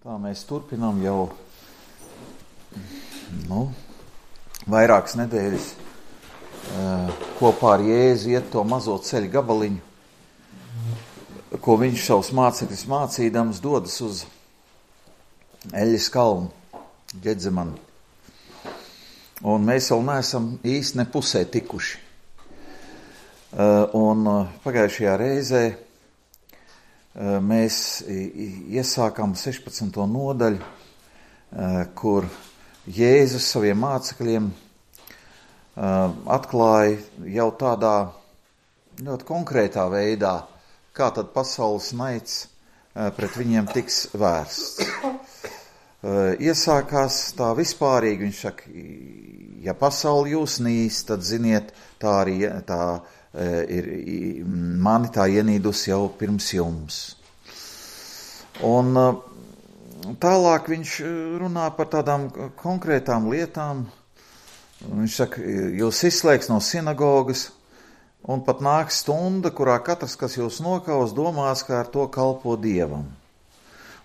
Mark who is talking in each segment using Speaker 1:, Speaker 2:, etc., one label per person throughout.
Speaker 1: Tā mēs turpinām jau vairākas nedēļas kopā ar Jēzu iet to mazo ceļu gabaliņu, ko viņš savus mācekļus mācīdams dodas uz Eļas kalnu, Ģedzemani. Un mēs vēl neesam īsti ne pusē tikuši. Un pagājušajā reizē mēs iesākām 16. nodaļu, kur Jēzus saviem mācekļiem atklāja jau tādā ļoti konkrētā veidā, kā tad pasaules naids pret viņiem tiks vērsts. Iesākās tā vispārīgi, viņš saka, ja pasauli jūs nīst, tad ziniet, tā arī tā ir mani tā ienīdus jau pirms jums. Un tālāk viņš runā par tādām konkrētām lietām. Viņš saka, jūs izslēgs no sinagogas, un pat nāks stunda, kurā katrs, kas jūs nokaus, domās, kā ar to kalpo Dievam.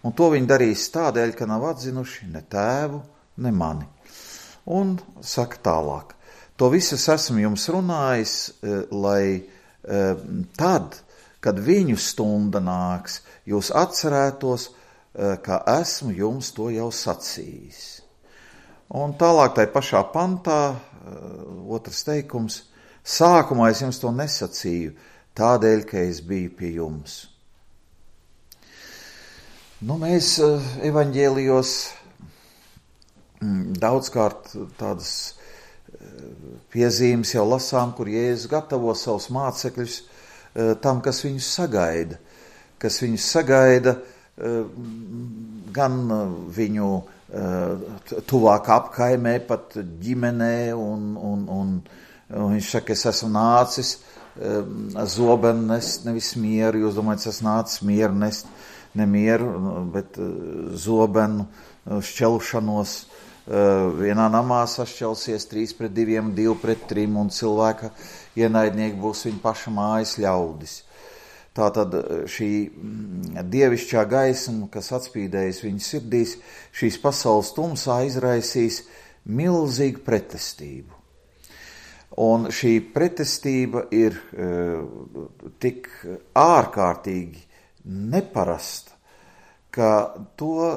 Speaker 1: Un to viņi darīs tādēļ, ka nav atzinuši ne tēvu, ne mani. Un saka tālāk. To visu esmu jums runājis, lai tad, kad viņu stunda nāks, jūs atcerētos, ka esmu jums to jau sacījis. Un tālāk tai pašā pantā, otrs teikums, sākumā es jums to nesacīju, tādēļ, ka es biju pie jums. Mēs evaņģēlijos daudzkārt tādas piezīmes jau lasām, kur Jēzus gatavo savus mācekļus tam, kas viņus sagaida, gan viņu tuvāk apkaimē, pat ģimenē, un viņš saka, es esmu nācis zobenu nest, nevis mieru, jūs domājat, es esmu nācis mieru nest, ne mieru, bet zobenu šķelšanos. Vienā namā sašķelsies 3-2, 2-3, un cilvēka ienaidnieki būs viņa paša mājas ļaudis. Tātad šī dievišķā gaisma, kas atspīdējas viņa sirdīs, šīs pasaules tumsā izraisīs milzīgu pretestību. Un šī pretestība ir tik ārkārtīgi neparasta, ka to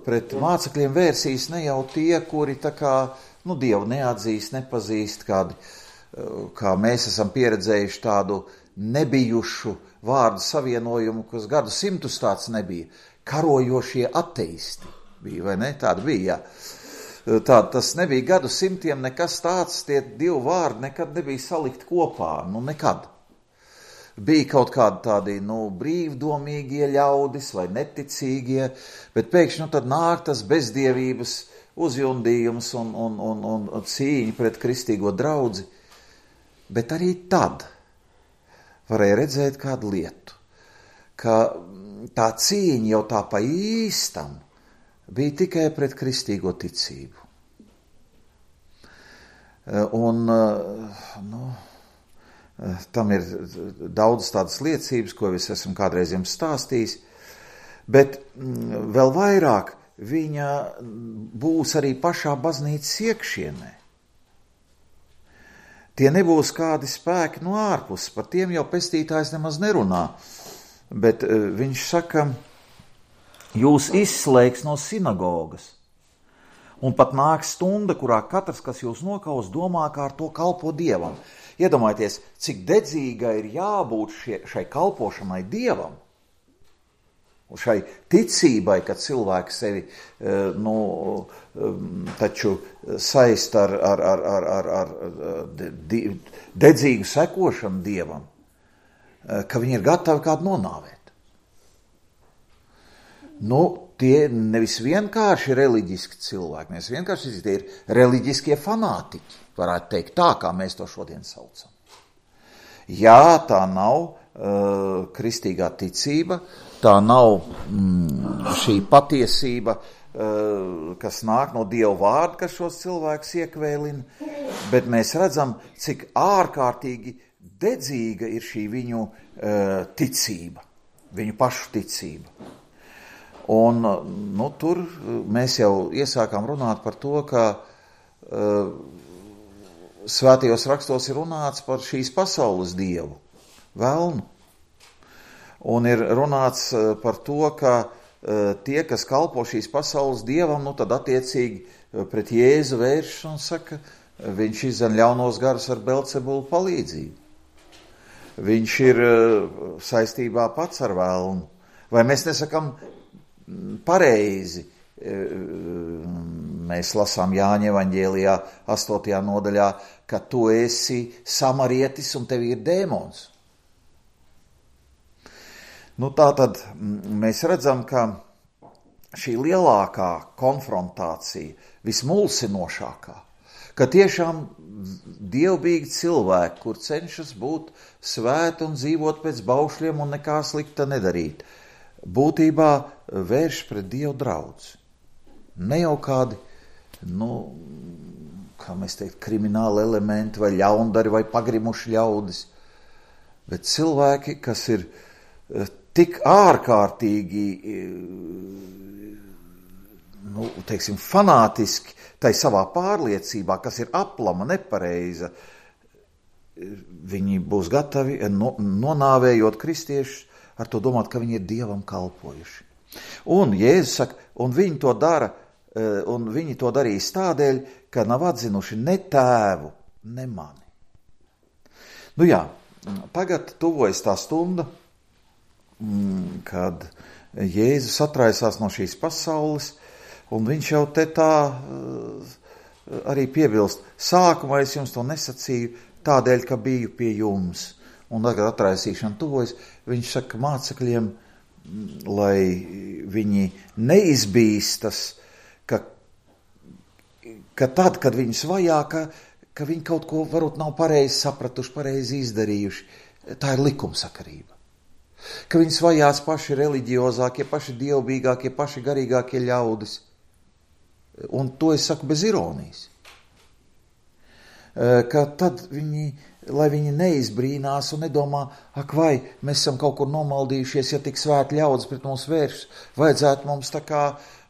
Speaker 1: pret mācekļiem vērsīs ne jau tie, kuri tā kā, Dievu neatzīst, nepazīst, kā mēs esam pieredzējuši tādu nebijušu vārdu savienojumu, kas gadu simtus tāds nebija. Karojošie ateisti bija, vai ne? Tāda bija, jā. Tas nebija gadu simtiem nekas tāds, tie divi vārdi nekad nebija salikt kopā, nekad. Bija kaut kādi tādi, brīvdomīgie ļaudis vai neticīgie, bet pēkšņi tad nāk tas bezdievības uzjundījums un cīņa pret kristīgo draudzi. Bet arī tad varēja redzēt kādu lietu, ka tā cīņa jau tā pa īstam bija tikai pret kristīgo ticību. Tam ir daudz tādas liecības, ko es esmu kādreiz jums stāstījis, bet vēl vairāk viņa būs arī pašā baznīcas iekšienē. Tie nebūs kādi spēki no ārpuses, par tiem jau pestītājs nemaz nerunā, bet viņš saka, jūs izslēgs no sinagogas, un pat nāks stunda, kurā katrs, kas jūs nokaus, domā, kā ar to kalpo Dievam. Iedomājieties, cik dedzīga ir jābūt šai kalpošanai Dievam, un šai ticībai, ka cilvēks sevi taču saist ar dedzīgu sekošanu Dievam, ka viņi ir gatavi kādu nonāvēt. Tie nevis vienkārši reliģiski cilvēki, nevis vienkārši tie ir reliģiskie fanātiķi, varētu teikt tā, kā mēs to šodien saucam. Jā, tā nav kristīgā ticība, tā nav šī patiesība, kas nāk no Dieva vārda, kas šos cilvēkus iekvēlina, bet mēs redzam, cik ārkārtīgi dedzīga ir šī viņu ticība, viņu pašu ticība. Un tur mēs jau iesākām runāt par to, ka svētajos rakstos ir runāts par šīs pasaules dievu, velnu. Un ir runāts par to, ka tie, kas kalpo šīs pasaules dievam, tad attiecīgi pret Jēzu vēršas un saka, viņš izdzen ļaunos garus ar Belcebulu palīdzību. Viņš ir saistībā pats ar velnu. Vai mēs nesakam pareizi? Mēs lasām Jāņa evaņģēlijā 8. nodaļā, ka tu esi samarietis un tev ir dēmons. Tātad mēs redzam, ka šī lielākā konfrontācija, vismulsinošākā, ka tiešām dievbīgi cilvēki, kur cenšas būt svēti un dzīvot pēc baušļiem un nekā slikta nedarīt, būtībā vērš pret Dievu draudz. Ne jau kādi, kā mēs teikt, krimināli elementi vai ļaundari vai pagrimuši ļaudis, bet cilvēki, kas ir tik ārkārtīgi, fanātiski tai savā pārliecībā, kas ir aplama, nepareiza, viņi būs gatavi, nonāvējot kristiešus, ar to domāt, ka viņi ir Dievam kalpojuši. Un Jēzus saka, un viņi to dara, un viņi to darīs tādēļ, ka nav atzinuši ne tēvu, ne mani. Tagad tuvojas tā stunda, kad Jēzus atraisās no šīs pasaules, un viņš jau te tā arī piebilst, sākumā es jums to nesacīju tādēļ, ka biju pie jums, un tagad atraisīšana tuvojas, viņš saka mācekļiem, lai viņi neizbīstas, ka tad, kad viņus vajā, ka viņi kaut ko varbūt nav pareizi sapratuši, pareizi izdarījuši, tā ir likumsakarība. Ka viņus vajās paši reliģiozākie, paši dievbīgākie, paši garīgākie ļaudis. Un to es saku bez ironijas. Ka tad lai viņi neizbrīnās un nedomā, vai mēs esam kaut kur nomaldījušies, ja tik svēti ļaudis pret mums vēršas, vajadzētu mums tā kā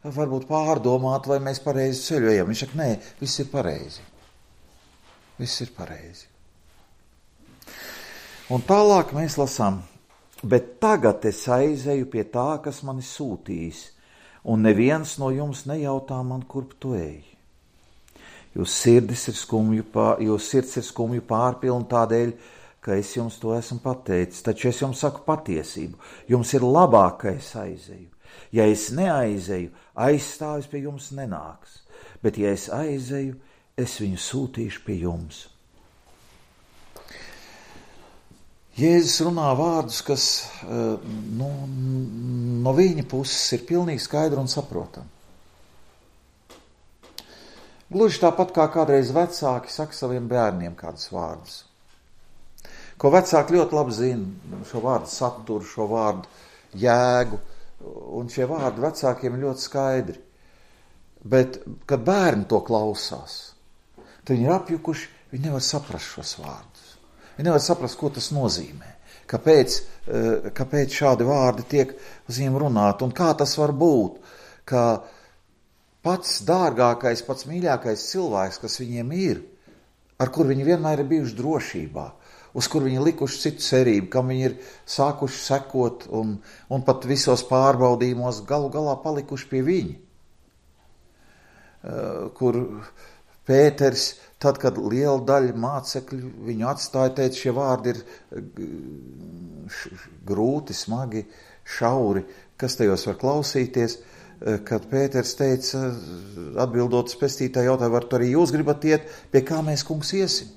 Speaker 1: varbūt pārdomāt, vai mēs pareizi ceļojam. Viņš saka, nē, viss ir pareizi. Viss ir pareizi. Un tālāk mēs lasām, bet tagad es aizeju pie tā, kas mani sūtīs, un neviens no jums nejautā man, kurp tu ej. Jūs sirds ir skumju pārpilna tādēļ, ka es jums to esmu pateicis, taču es jums saku patiesību. Jums ir labāk, ka es aizeju. Ja es neaizeju, aizstāvis pie jums nenāks, bet ja es aizeju, es viņu sūtīšu pie jums. Jēzus runā vārdus, kas no viņa puses ir pilnīgi skaidri un saprotami. Gluži tāpat kā kādreiz vecāki saka saviem bērniem kādus vārdus. Ko vecāki ļoti labi zina, šo vārdu saturu, šo vārdu jēgu, un šie vārdi vecākiem ir ļoti skaidri. Bet, kad bērni to klausās, tad viņi ir apjukuši, viņi nevar saprast šos vārdus. Viņi nevar saprast, ko tas nozīmē. Kāpēc šādi vārdi tiek uz viņiem runāt, un kā tas var būt, ka pats dārgākais, pats mīļākais cilvēks, kas viņiem ir, ar kur viņi vienmēr ir bijuši drošībā, uz kur viņi likuši citu cerību, kam viņi ir sākuši sekot un pat visos pārbaudījumos galu galā palikuši pie viņa. Kur Pēters, tad, kad liela daļa mācekļu viņu atstāja, teica, šie vārdi ir grūti, smagi, šauri, kas tajos var klausīties, kad Pēters teica, atbildot pestītāju jautājumu, var tu arī jūs gribat iet, pie kā mēs, kungs, iesim?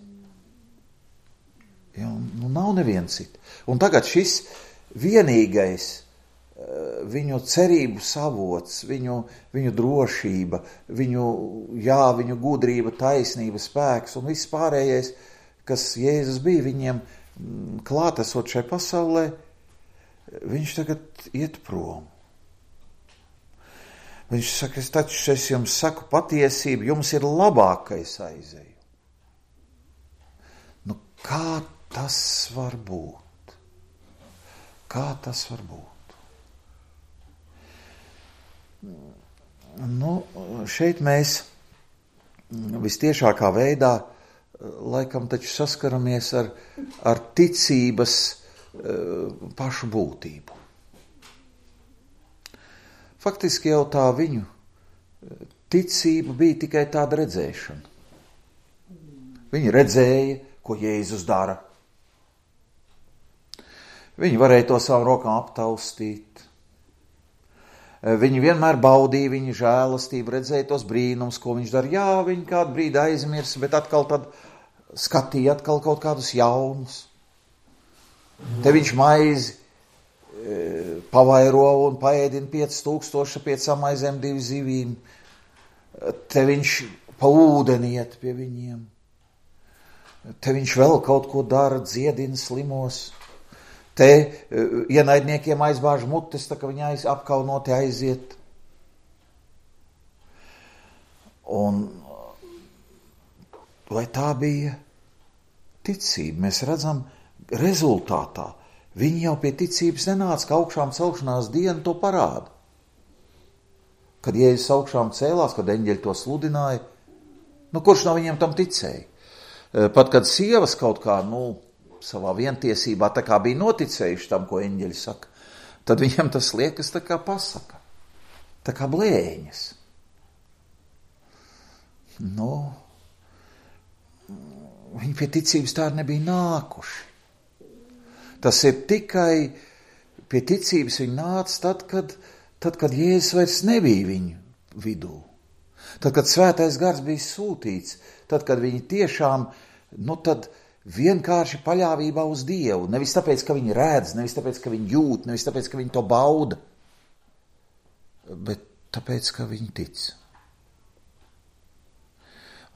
Speaker 1: Ja, nav neviens cits. Un tagad šis vienīgais viņu cerību savots, viņu drošība, viņu gudrība, taisnība, spēks un viss pārējais, kas Jēzus bija viņiem klātesot šai pasaulē, viņš tagad iet prom. Viņš saka, es jums saku patiesību, jums ir labāk, ka es aizeju. Kā tas var būt? Kā tas var būt? šeit mēs vistiešākā veidā laikam taču saskaramies ar ticības pašu būtību. Faktiski jau tā viņu ticība bija tikai tāda redzēšana. Viņi redzēja, ko Jēzus dara. Viņi varēja to savu rokām aptaustīt. Viņi vienmēr baudīja viņa žēlastību, redzēja tos brīnums, ko viņš dara. Jā, viņi kādu brīdi aizmirsa, bet atkal tad skatīja atkal kaut kādus jaunus. Te viņš maizi pavairo un paēdina 5000 5 maizēm 2 zivīm. Te viņš pa ūdeni iet pie viņiem. Te viņš vēl kaut ko dara, dziedina slimos. Te ienaidniekiem aizbāž mutes, tā ka viņi apkaunoti aiziet. Un vai tā bija ticība? Mēs redzam rezultātā. Viņi jau pie ticības nenāca, ka augšām celšanās diena to parāda. Kad Jēzus augšām cēlās, kad eņģeļi to sludināja, kurš no viņiem tam ticēja? Pat kad sievas kaut kā, savā vientiesībā tā kā bija noticējuši tam, ko eņģeļi saka, tad viņam tas liekas tā kā pasaka, tā kā blēņas. Viņi pie ticības tā nebija nākuši. Tas ir tikai pie ticības viņi nāca tad, kad Jēzus vairs nebija viņu vidū. Tad, kad svētais gars bija sūtīts, tad, kad viņi tiešām, tad vienkārši paļāvībā uz Dievu. Nevis tāpēc, ka viņi redz, nevis tāpēc, ka viņi jūt, nevis tāpēc, ka viņi to bauda, bet tāpēc, ka viņi tic.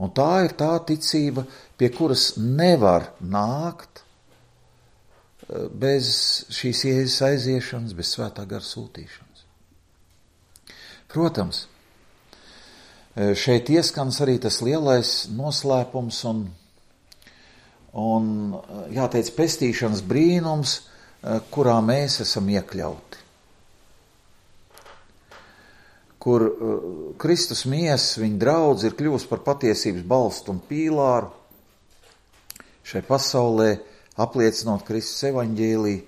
Speaker 1: Un tā ir tā ticība, pie kuras nevar nākt bez šīs Jēzus aiziešanas, bez svētā gara sūtīšanas. Protams, šeit ieskans arī tas lielais noslēpums un jāteic pestīšanas brīnums, kurā mēs esam iekļauti. Kur Kristus miesas, viņa draudze ir kļuvusi par patiesības balstu un pīlāru šai pasaulē, apliecinot Kristus evaņģēliju.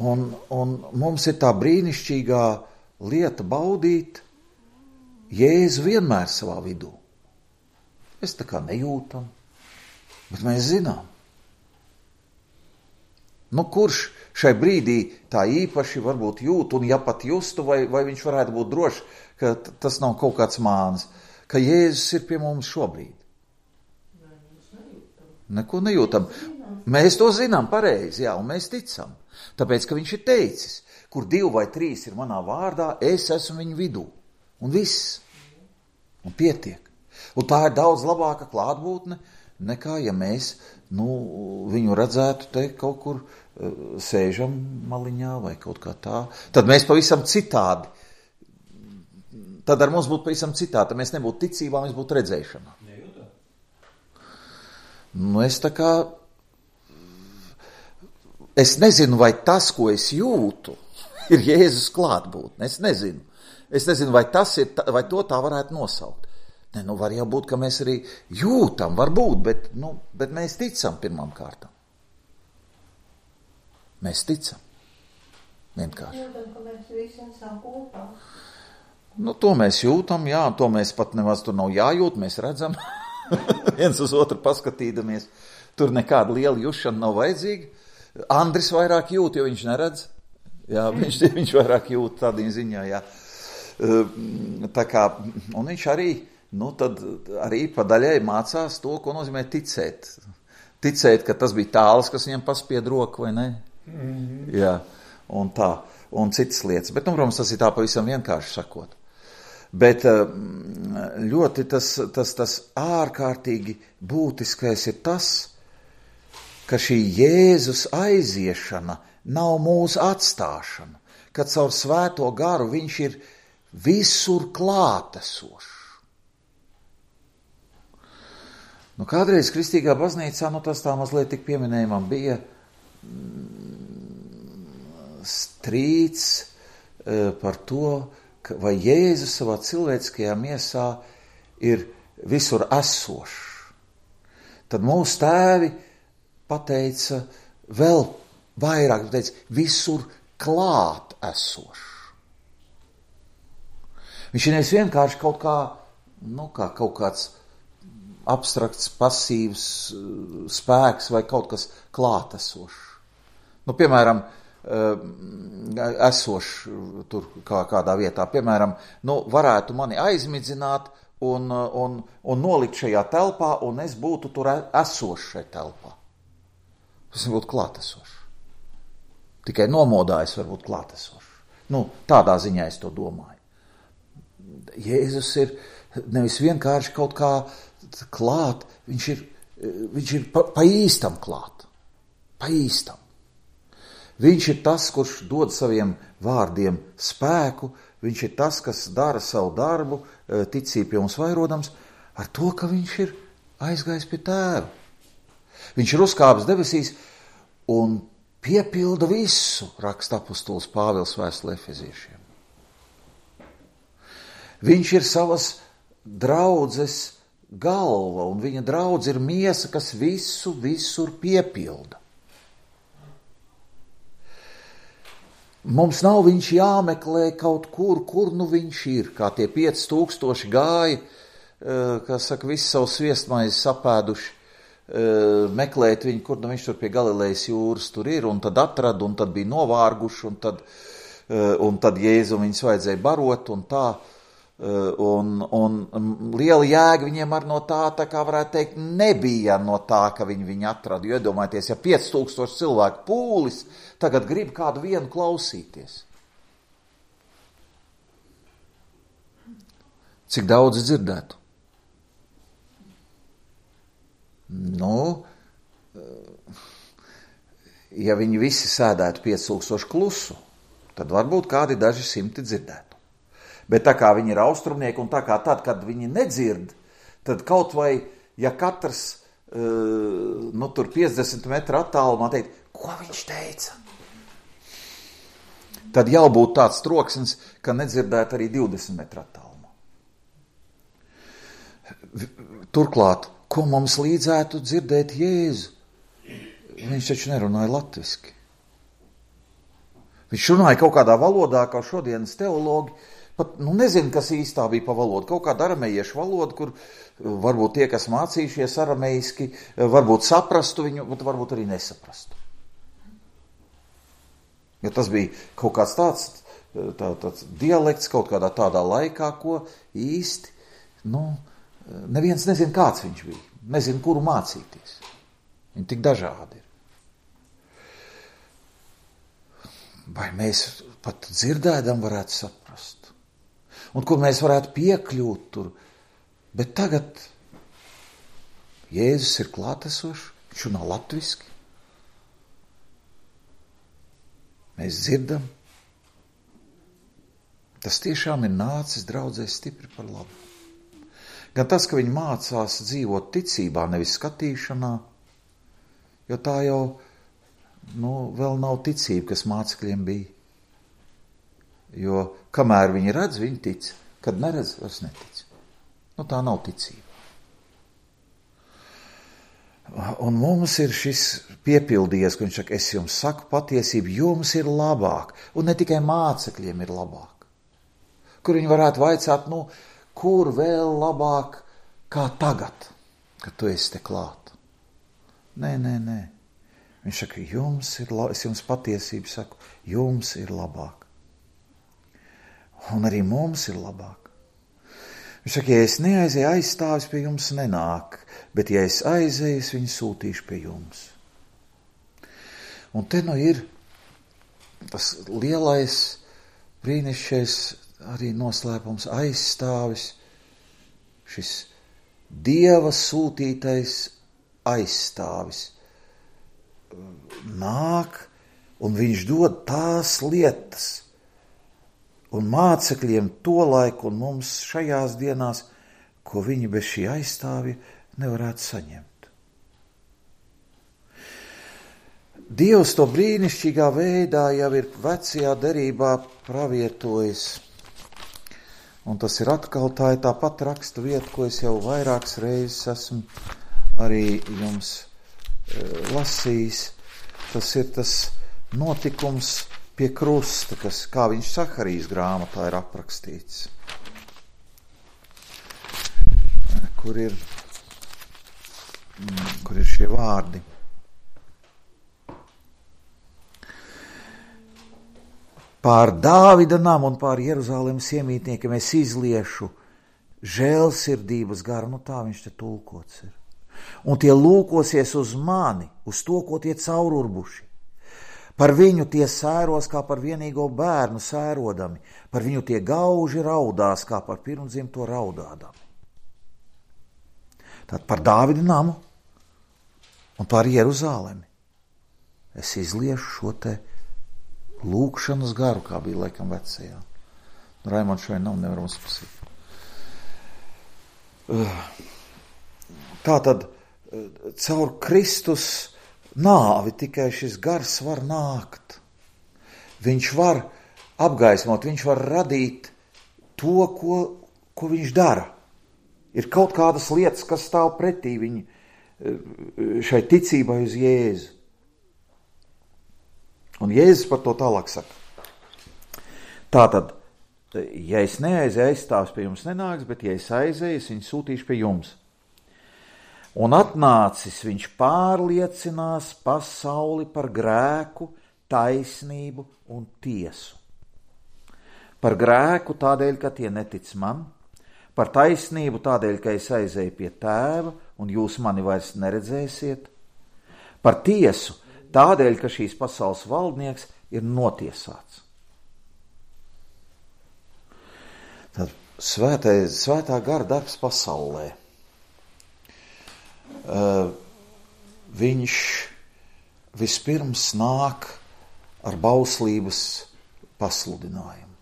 Speaker 1: Un mums ir tā brīnišķīgā lieta baudīt Jēzu vienmēr savā vidū. Mēs tā kā nejūtam, bet mēs zinām. Kurš šai brīdī tā īpaši varbūt jūt, un ja pat justu, vai viņš varētu būt drošs, ka tas nav kaut kāds māns, ka Jēzus ir pie mums šobrīd. Neko nejūtam. Mēs to zinām pareizi, jā, un mēs ticam. Tāpēc, ka viņš ir teicis, kur 2 vai 3 ir manā vārdā, es esmu viņu vidū. Un viss. Un pietiek. Un tā ir daudz labāka klātbūtne, nekā ja mēs viņu redzētu te kaut kur sēžam maliņā vai kaut kā tā. Tad mēs pavisam citādi. Tad ar mums būtu pavisam citādi. Tad mēs nebūtu ticībā, mēs būtu redzēšanā. Es nezinu, vai tas, ko es jūtu, ir Jēzus klātbūtne. Es nezinu. Es nezinu, vai to tā varētu nosaukt. Var jau būt, ka mēs arī jūtam, varbūt, bet mēs ticam pirmām kārtām. Mēs ticam. Vienkārši.
Speaker 2: Jūtam, ka mēs visi esam kopā.
Speaker 1: To mēs jūtam, jā, to mēs pat nemaz tur nav jājūt, mēs redzam. Viens uz otru paskatīdamies. Tur nekāda liela jušana nav vajadzīga. Andris vairāk jūt, jo viņš neredz. Jā, viņš vairāk jūt tādā ziņā, jā. Tā kā, un viņš arī, tad arī pa daļai mācās to, ko nozīmē ticēt. Ticēt, ka tas bija tāls, kas viņam paspied roku, vai ne? Jā, un tā, un citas lietas. Bet, protams, tas ir tā pavisam vienkārši sakot. Bet ļoti tas ārkārtīgi būtiskais ir tas, ka šī Jēzus aiziešana nav mūsu atstāšana, ka caur svēto garu viņš ir visur klātesošs. Kādreiz kristīgā baznīcā, tas tā mazliet tik pieminējumam bija strīds par to, vai Jēzus savā cilvēciskajā miesā ir visur esošs, tad mūsu tēvi pateica vēl vairāk, pateica visur klāt esošs. Viņš ir nevis vienkārši kaut kā, kā kaut kāds abstrakts, pasīvs spēks vai kaut kas klātesošs. Piemēram, esošs tur kādā vietā, piemēram, varētu mani aizmidzināt un nolikt šajā telpā, un es būtu tur esošs šajā telpā. Tas būtu klātesošs. Tikai nomodājis var būt klātesošs. Tādā ziņā es to domāju. Jēzus ir nevis vienkārši kaut kā klāt, viņš ir pa īstam klāt. Pa īstam. Viņš ir tas, kurš dod saviem vārdiem spēku, viņš ir tas, kas dara savu darbu, ticību pie mums vairodams, ar to, ka viņš ir aizgājis pie tēva. Viņš ir uzkāpis debesīs un piepilda visu, raksta apostols Pāvils vēstulē Efeziešiem. Viņš ir savas draudzes galva, un viņa draudze ir miesa, kas visu visur piepilda. Mums nav viņš jāmeklē kaut kur viņš ir, kā tie 5000 gāja, kā saka, visu savu sviestmaizi sapēduši, meklēt viņu, kur viņš tur pie Galilejas jūras tur ir, un tad atrada, un tad bija novārguši, un tad Jēzu viņus vajadzēja barot, un tā. Un liela jēga viņiem ar no tā kā varētu teikt, nebija no tā, ka viņi atrada. Jo iedomājieties, ja 5000 cilvēku pūlis tagad grib kādu vienu klausīties. Cik daudz dzirdētu? Ja viņi visi sēdētu 5000 klusu, tad varbūt kādi daži simti dzirdētu. Bet tā kā viņi ir austrumnieki un tā kā tad, kad viņi nedzird, tad kaut vai, ja katrs tur 50 metru attālumā teikt, ko viņš teica? Tad jau būtu tāds troksnis, ka nedzirdētu arī 20 metru attālumā. Turklāt, ko mums līdzētu dzirdēt Jēzu? Viņš taču nerunāja latviski. Viņš runāja kaut kādā valodā, kā šodienas teologi, pat nezinu, kas īstā bija pa valodu. Kaut kāda aramejiešu valoda, kur varbūt tie, kas mācījušies arameiski, varbūt saprastu viņu, bet varbūt arī nesaprastu. Ja tas bija kaut kāds tāds dialekts kaut kādā tādā laikā, ko īsti, neviens nezin, kāds viņš bija. Nezin, kuru mācīties. Viņi tik dažādi ir. Vai mēs pat dzirdēdam varētu saprast? Un kur mēs varētu piekļūt tur. Bet tagad Jēzus ir klātesošs, viņš runā latviski. Mēs dzirdam. Tas tiešām ir nācis draudzē stipri par labu. Gan tas, ka viņi mācās dzīvot ticībā, nevis skatīšanā, jo tā jau vēl nav ticība, kas mācekļiem bija. Jo kamēr viņi redz, viņi tic. Kad neredz, vairs netic. Tā nav ticība. Un mums ir šis piepildījies, ka viņš saka, es jums saku patiesību, jums ir labāk. Un ne tikai mācekļiem ir labāk. Kur viņi varētu vaicāt, kur vēl labāk kā tagad, kad tu esi te klāt. Nē. Viņš saka, es jums patiesību saku, jums ir labāk. Un arī mums ir labāk. Viņš saka, ja es neaizēju, aizstāvis pie jums nenāk, bet ja es aizēju, es viņu sūtīšu pie jums. Un te ir tas lielais, brīnišķīgais arī noslēpums aizstāvis, šis Dieva sūtītais aizstāvis. Nāk, un viņš dod tās lietas, un mācekļiem to laiku un mums šajās dienās, ko viņi bez šī aizstāvja nevarētu saņemt. Dievs to brīnišķīgā veidā jau ir vecajā derībā pravietojis Un tas ir atkal tā pati raksta vieta, ko es jau vairākas reizes esmu arī jums lasījis. Tas ir tas notikums pie krusta, kas, kā viņš Saharijas grāmatā ir aprakstīts. Kur ir šie vārdi. Pār Dāvida namu un pār Jeruzalemes iemītniekiem es izliešu žēlsirdības garu, tā viņš te tulkots ir. Un tie lūkosies uz mani, uz to, ko tie caururbuši. Par viņu tie sēros, kā par vienīgo bērnu sērodami, par viņu tie gauži raudās, kā par pirmdzimto raudādami. Tad par Dāvida namu un par Jeruzalemi es izliešu šo te lūkšanas garu, kā bija laikam vecajā. Raimonds šodien nevar uzpasīt. Tātad caur Kristus nāvi tikai šis gars var nākt. Viņš var apgaismot, viņš var radīt to, ko viņš dara. Ir kaut kādas lietas, kas stāv pretī šai ticībai uz Jēzu. Un Jēzus par to tālāk saka. Tātad, ja es neaizēju, aizstāvs pie jums nenāks, bet ja es aizēju, es viņu sūtīšu pie jums. Un atnācis viņš pārliecinās pasauli par grēku, taisnību un tiesu. Par grēku tādēļ, ka tie netic man, par taisnību tādēļ, ka es aizēju pie tēva un jūs mani vairs neredzēsiet, par tiesu tādēļ, ka šīs pasaules valdnieks ir notiesāts. Tad svētā gara darbs pasaulē. Viņš vispirms nāk ar bauslības pasludinājumu.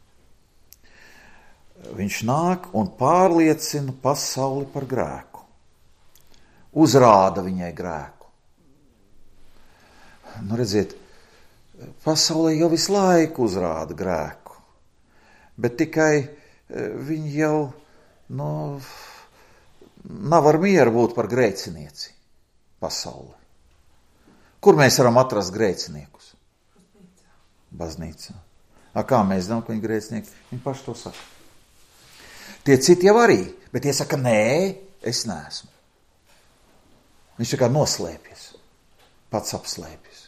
Speaker 1: Viņš nāk un pārliecina pasauli par grēku. Uzrāda viņai grēku. Redziet, pasaulē jau visu laiku uzrāda grēku, bet tikai viņi jau, nav ar mieru būt par grēcinieci pasaulē. Kur mēs varam atrast grēciniekus? Baznīcā. Kā mēs zinām, ka viņi grēcinieki? Viņi paši to saka. Tie citi jau arī, bet tie saka, nē, es neesmu. Viņš tā kā noslēpjas, pats apslēpjas.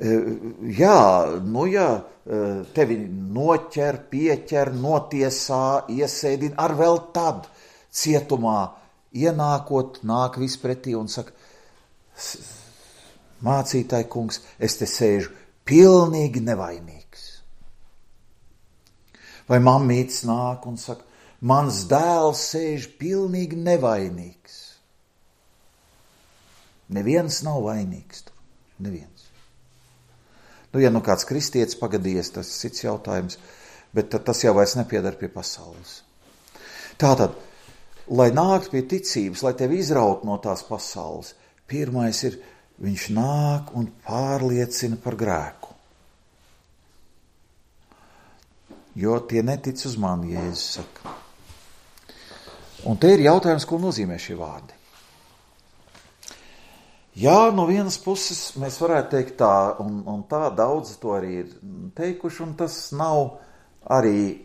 Speaker 1: Jā, tevi noķer, pieķer, notiesā, iesēdina, ar vēl tad cietumā ienākot, nāk vispretī un saka, mācītāji kungs, es te sēžu pilnīgi nevainīgs. Vai mammītis nāk un saka, mans dēls sēž pilnīgi nevainīgs. Neviens nav vainīgs tur, neviens. Ja kāds kristietis pagadījies, tas ir cits jautājums, bet tas jau vairs nepiedar pie pasaules. Tātad, lai nākt pie ticības, lai tevi izraut no tās pasaules, pirmais ir, viņš nāk un pārliecina par grēku. Jo tie netic uz mani, Jēzus saka. Un te ir jautājums, ko nozīmē šie vārdi. Jā, no vienas puses mēs varētu teikt tā, un tā daudz to arī ir teikuši, un tas nav arī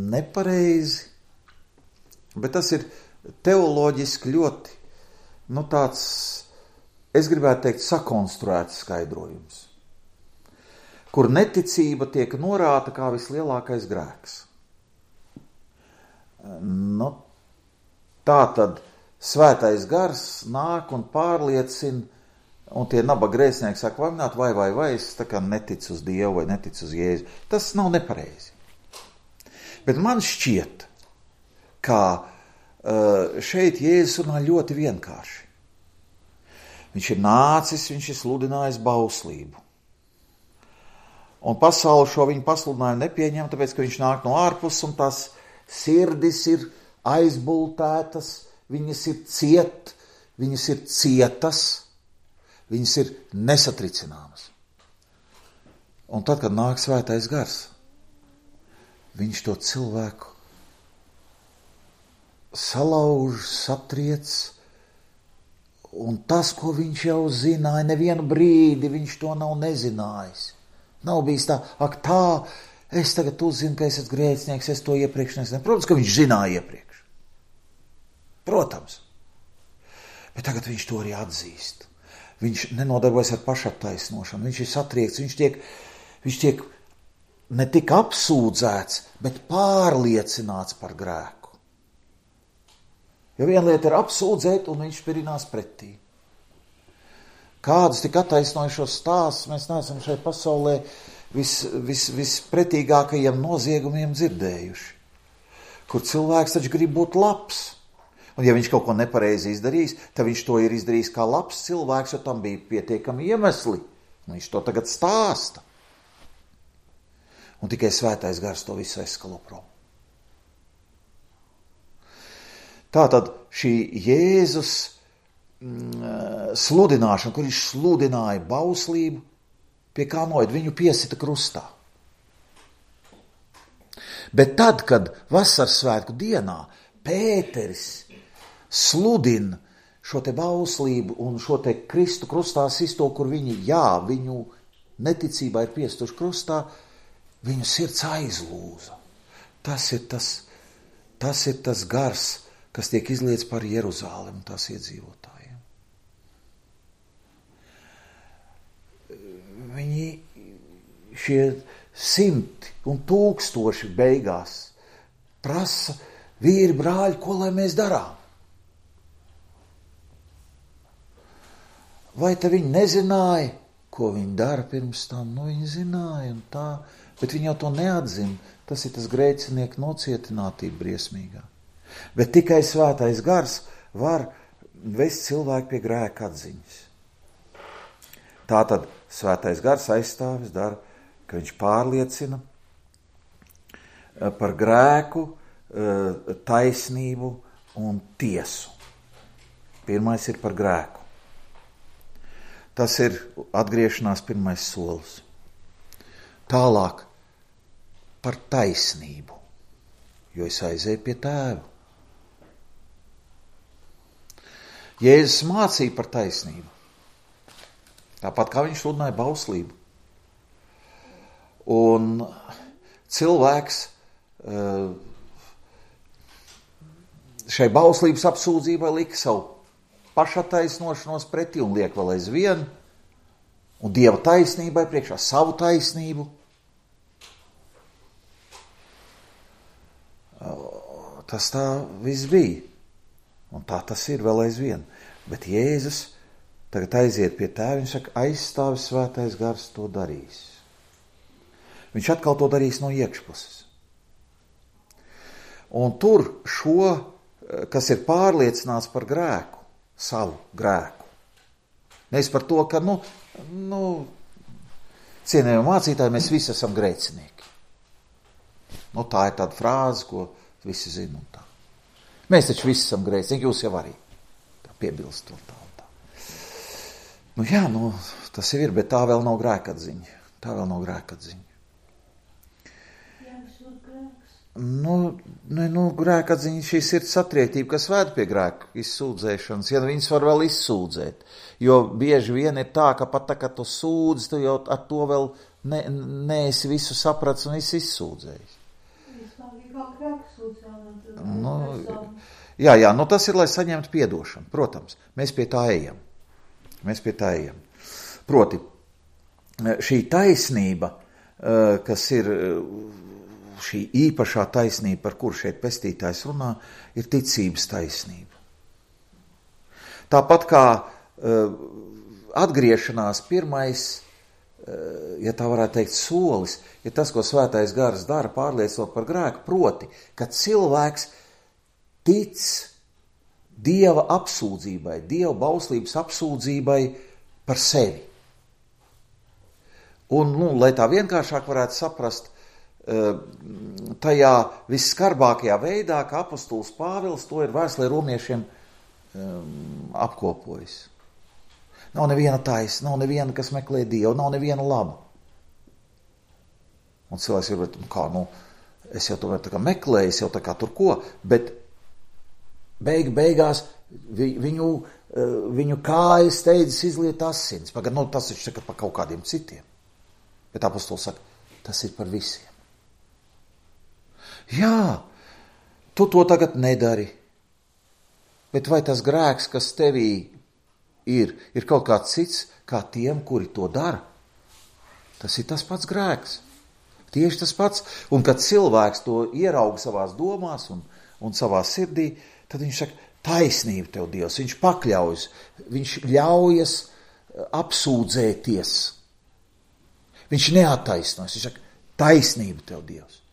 Speaker 1: nepareizi, bet tas ir teoloģiski ļoti, tāds, es gribētu teikt, sakonstruēts skaidrojums, kur neticība tiek norāta kā vislielākais grēks. Tā tad svētais gars nāk un pārliecina, un tie nabaga grēcinieki saka, vai, es tā kā neticu uz Dievu vai neticu uz Jēzu. Tas nav nepareizi. Bet man šķiet, ka šeit Jēzus runā ļoti vienkārši. Viņš ir nācis, viņš ir sludinājis bauslību. Un pasaule šo viņu pasludinājumu nepieņem, tāpēc, ka viņš nāk no ārpus, un tās sirdis ir aizbultētas, viņas ir cietas, viņas ir nesatricināmas. Un tad, kad nāk svētais gars viņš to cilvēku salauž, satriec, un tas, ko viņš jau zināja, nevienu brīdi viņš to nav nezinājis. Nav bijis tā, ak tā, es tagad uzzinu, ka esat grēcinieks, es to iepriekš nezinu. Protams, ka viņš zināja iepriekš. Protams. Bet tagad viņš to arī atzīst. Viņš nenodarbojas ar pašattaisnošanu, viņš ir satriekts, viņš tiek ne tik apsūdzēts, bet pārliecināts par grēku. Jo viena lieta ir apsūdzēt, un viņš pirinās pretī. Kādus tik attaisnojušos stāstus mēs neesam šai pasaulē vispretīgākajiem noziegumiem dzirdējuši, kur cilvēks taču grib būt labs. Un ja viņš kaut ko nepareizi izdarījis, tad viņš to ir izdarījis kā labs cilvēks, jo tam bija pietiekami iemesli. Un viņš to tagad stāsta. Un tikai Svētais Gars to visu aizskalo prom. Tātad šī Jēzus sludināšana, kur viņš sludināja bauslību, pie kā noid viņu piesita krustā. Bet tad, kad vasaras svētku dienā Pēteris sludina šo te bauslību un šo te Kristu krustā sisto, kur viņu neticībā ir piestuši krustā, viņu sirds aizlūza. Tas ir tas gars, kas tiek izliets par Jeruzālemi un tās iedzīvotājiem. Šie 100 un 1000 beigās prasa, vīri, brāļi, ko lai mēs darām? Vai te viņi nezināja, ko viņi dara pirms tam? Nu, viņi zināja un tā, bet viņi jau to neatzina. Tas ir tas grēcinieku nocietinātība briesmīgā. Bet tikai Svētais Gars var vest cilvēku pie grēka atziņas. Tātad Svētais Gars aizstāvis dara, ka viņš pārliecina par grēku, taisnību un tiesu. Pirmais ir par grēku. Tas ir atgriešanās pirmais solis. Tālāk par taisnību, jo es aizēju pie Tēva. Jēzus mācīja par taisnību. Tāpat kā viņš sludināja bauslību. Un cilvēks šai bauslības apsūdzībai lika savu pašattaisnošanos pretī un liek vēl aizvien, un Dieva taisnībai priekšā savu taisnību. Tas tā viss bija, un tā tas ir vēl aizvien. Bet Jēzus tagad aiziet pie Tēva, viņš saka, aizstāvis Svētais Gars to darīs. Viņš atkal to darīs no iekšpuses. Un tur šo, kas ir pārliecināts par grēku, savu grēku. Nevis par to, ka, cienējami mācītāji, mēs visi esam grēcinieki. Tā ir tāda frāze, ko visi zina un tā. Mēs taču visi esam grēcinieki, jūs jau arī tā piebilst un tā. Tas jau ir, bet tā vēl nav grēkatziņa. Grēkatziņa šī sirds satriektība, kas vēd pie grēku izsūdzēšanas, ja viņas var vēl izsūdzēt. Jo bieži vien ir tā, ka pat tā, kad tu sūdzi, tu jau ar to vēl neesi visu saprats un esi izsūdzējis. Tas ir, lai saņemtu piedošanu. Protams, mēs pie tā ejam. Proti, šī taisnība, kas ir šī īpašā taisnība, par kuru šeit pestītājs runā, ir ticības taisnība. Tāpat kā atgriešanās pirmais, ja tā varētu teikt, solis, ir tas, ko Svētais Gars dara, pārliecinot par grēku, proti, ka cilvēks tic Dieva apsūdzībai, Dieva bauslības apsūdzībai par sevi. Un, lai tā vienkāršāk varētu saprast, tajā visskarbākajā veidā, kā apostols Pāvils to ir vēstulē romiešiem apkopojis. Nav neviena taisa, nav neviena, kas meklē Dievu, nav neviena laba. Un cilvēks ir, es jau tomēr tā kā meklēju, es jau tā kā tur ko, bet beigās viņu kājas steidzas izliet asins. Tas viņš saka par kaut kādiem citiem. Bet apostols saka, tas ir par visiem. Jā, tu to tagad nedari. Bet vai tas grēks, kas tevī ir kaut kāds cits, kā tiem, kuri to dara? Tas ir tas pats grēks. Tieši tas pats. Un kad cilvēks to ierauga savās domās un savā sirdī, tad viņš saka, taisnība tev, Dievs. Viņš pakļaujas, viņš ļaujas apsūdzēties. Viņš neattaisnojas. Viņš saka, taisnība tev, Dievs.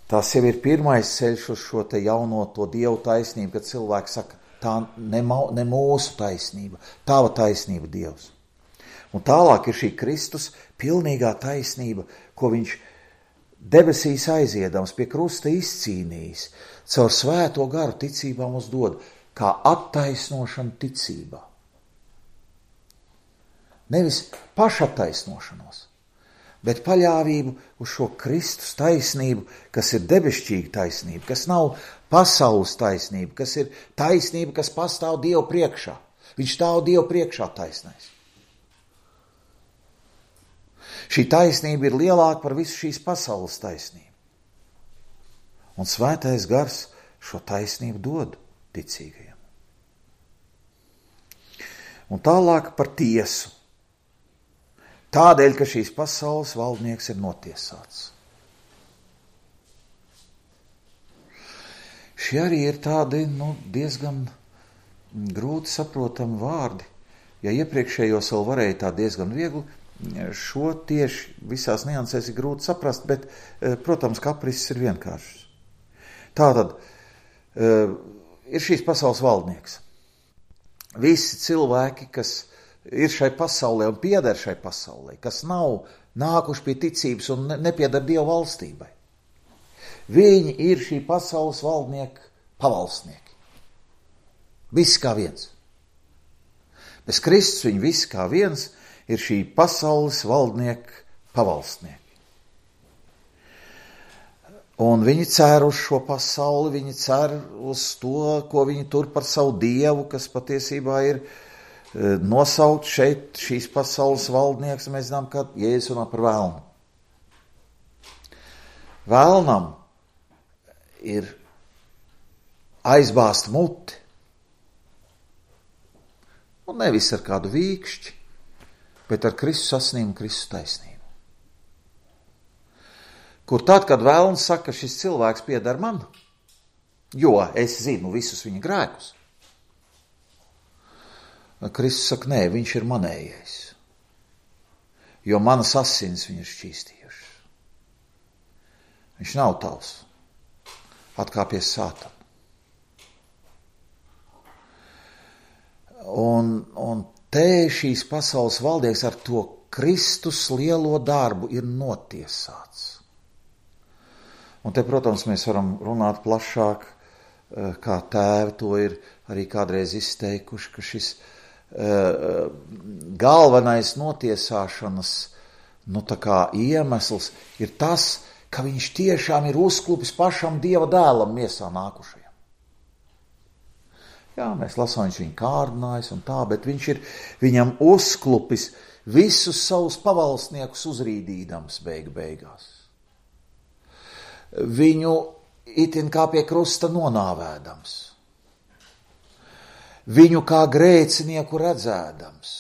Speaker 1: Tas jau ir pirmais ceļš uz šo te jauno to Dievu taisnību, kad cilvēks saka, tā ne mūsu taisnība, tava taisnība, Dievs. Un tālāk ir šī Kristus pilnīgā taisnība, ko viņš debesīs aiziedams pie krusta izcīnījis, caur svēto garu ticībā mums dod, kā attaisnošana ticībā. Nevis pašattaisnošanos, bet paļāvību uz šo Kristus taisnību, kas ir debešķīga taisnība, kas nav pasaules taisnība, kas ir taisnība, kas pastāv Dievu priekšā. Viņš stāv Dievu priekšā taisnais. Šī taisnība ir lielāka par visu šīs pasaules taisnību. Un svētais gars šo taisnību dod ticīgajiem. Un tālāk par tiesu. Tādēļ, ka šīs pasaules valdnieks ir notiesāts. Šie arī ir tādi diezgan grūti saprotami vārdi. Ja iepriekšējos vēl varēja tā diezgan viegli, šo tieši visās niansēs ir grūti saprast, bet, protams, kapriss ir vienkāršs. Tātad ir šīs pasaules valdnieks. Visi cilvēki, kas ir šai pasaulē un pieder šai pasaulē, kas nav nākuši pie ticības un nepieder Dieva valstībai. Viņi ir šī pasaules valdnieki pavalstnieki. Visi kā viens. Bez Kristus viņi visi kā viens ir šī pasaules valdnieki pavalstnieki. Un viņi cer uz šo pasauli, viņi cer uz to, ko viņi tur par savu dievu, kas patiesībā ir nosaukt šeit šīs pasaules valdnieks, un mēs zinām, ka Jēzus runā par vēlnu. Vēlnam ir aizbāzt muti, un nevis ar kādu vīkšķi, bet ar Kristus asinīm un Kristus taisnību. Kur tad, kad vēlns saka, ka šis cilvēks pieder man, jo es zinu visus viņa grēkus, Kristus saka, nē, viņš ir manējais, jo manas asins viņu ir šķīstījušas. Viņš nav tavs. Atkāpies Sātanu. Un te šīs pasaules valdnieks ar to Kristus lielo darbu ir notiesāts. Un te, protams, mēs varam runāt plašāk, kā tēvi to ir arī kādreiz izteikuši, ka šis galvenais notiesāšanas iemesls ir tas, ka viņš tiešām ir uzklupis pašam Dieva dēlam miesā nākušajam. Jā, mēs lasām, viņš viņu kārdinājis un tā, bet viņš ir viņam uzklupis visus savus pavalstniekus uzrīdīdams beigās. Viņu itin kā pie krusta nonāvēdams. Viņu kā grēcinieku redzēdams.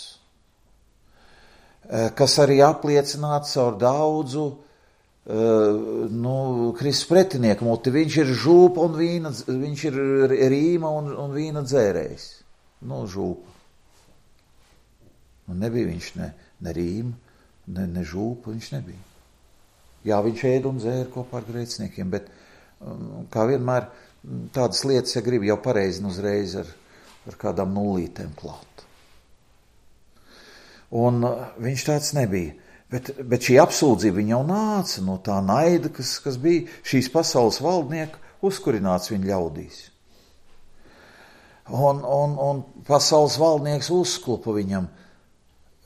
Speaker 1: Kas arī apliecināts caur daudzu Kristus pretinieku muti. Viņš ir žūpa un vīna, viņš ir rīma un vīna dzērējs. Žūpa. Un nebija viņš ne rīma, ne žūpa, viņš nebija. Jā, viņš ēd un dzēra kopā ar grēciniekiem, bet kā vienmēr tādas lietas, ja grib jau pareizi uzreiz ar kādām nullītēm klāt. Un viņš tāds nebija. Bet šī apsūdzība viņa jau nāca no tā naida, kas bija šīs pasaules valdnieku uzkurināts viņa ļaudīs. Un pasaules valdnieks uzklupa viņam.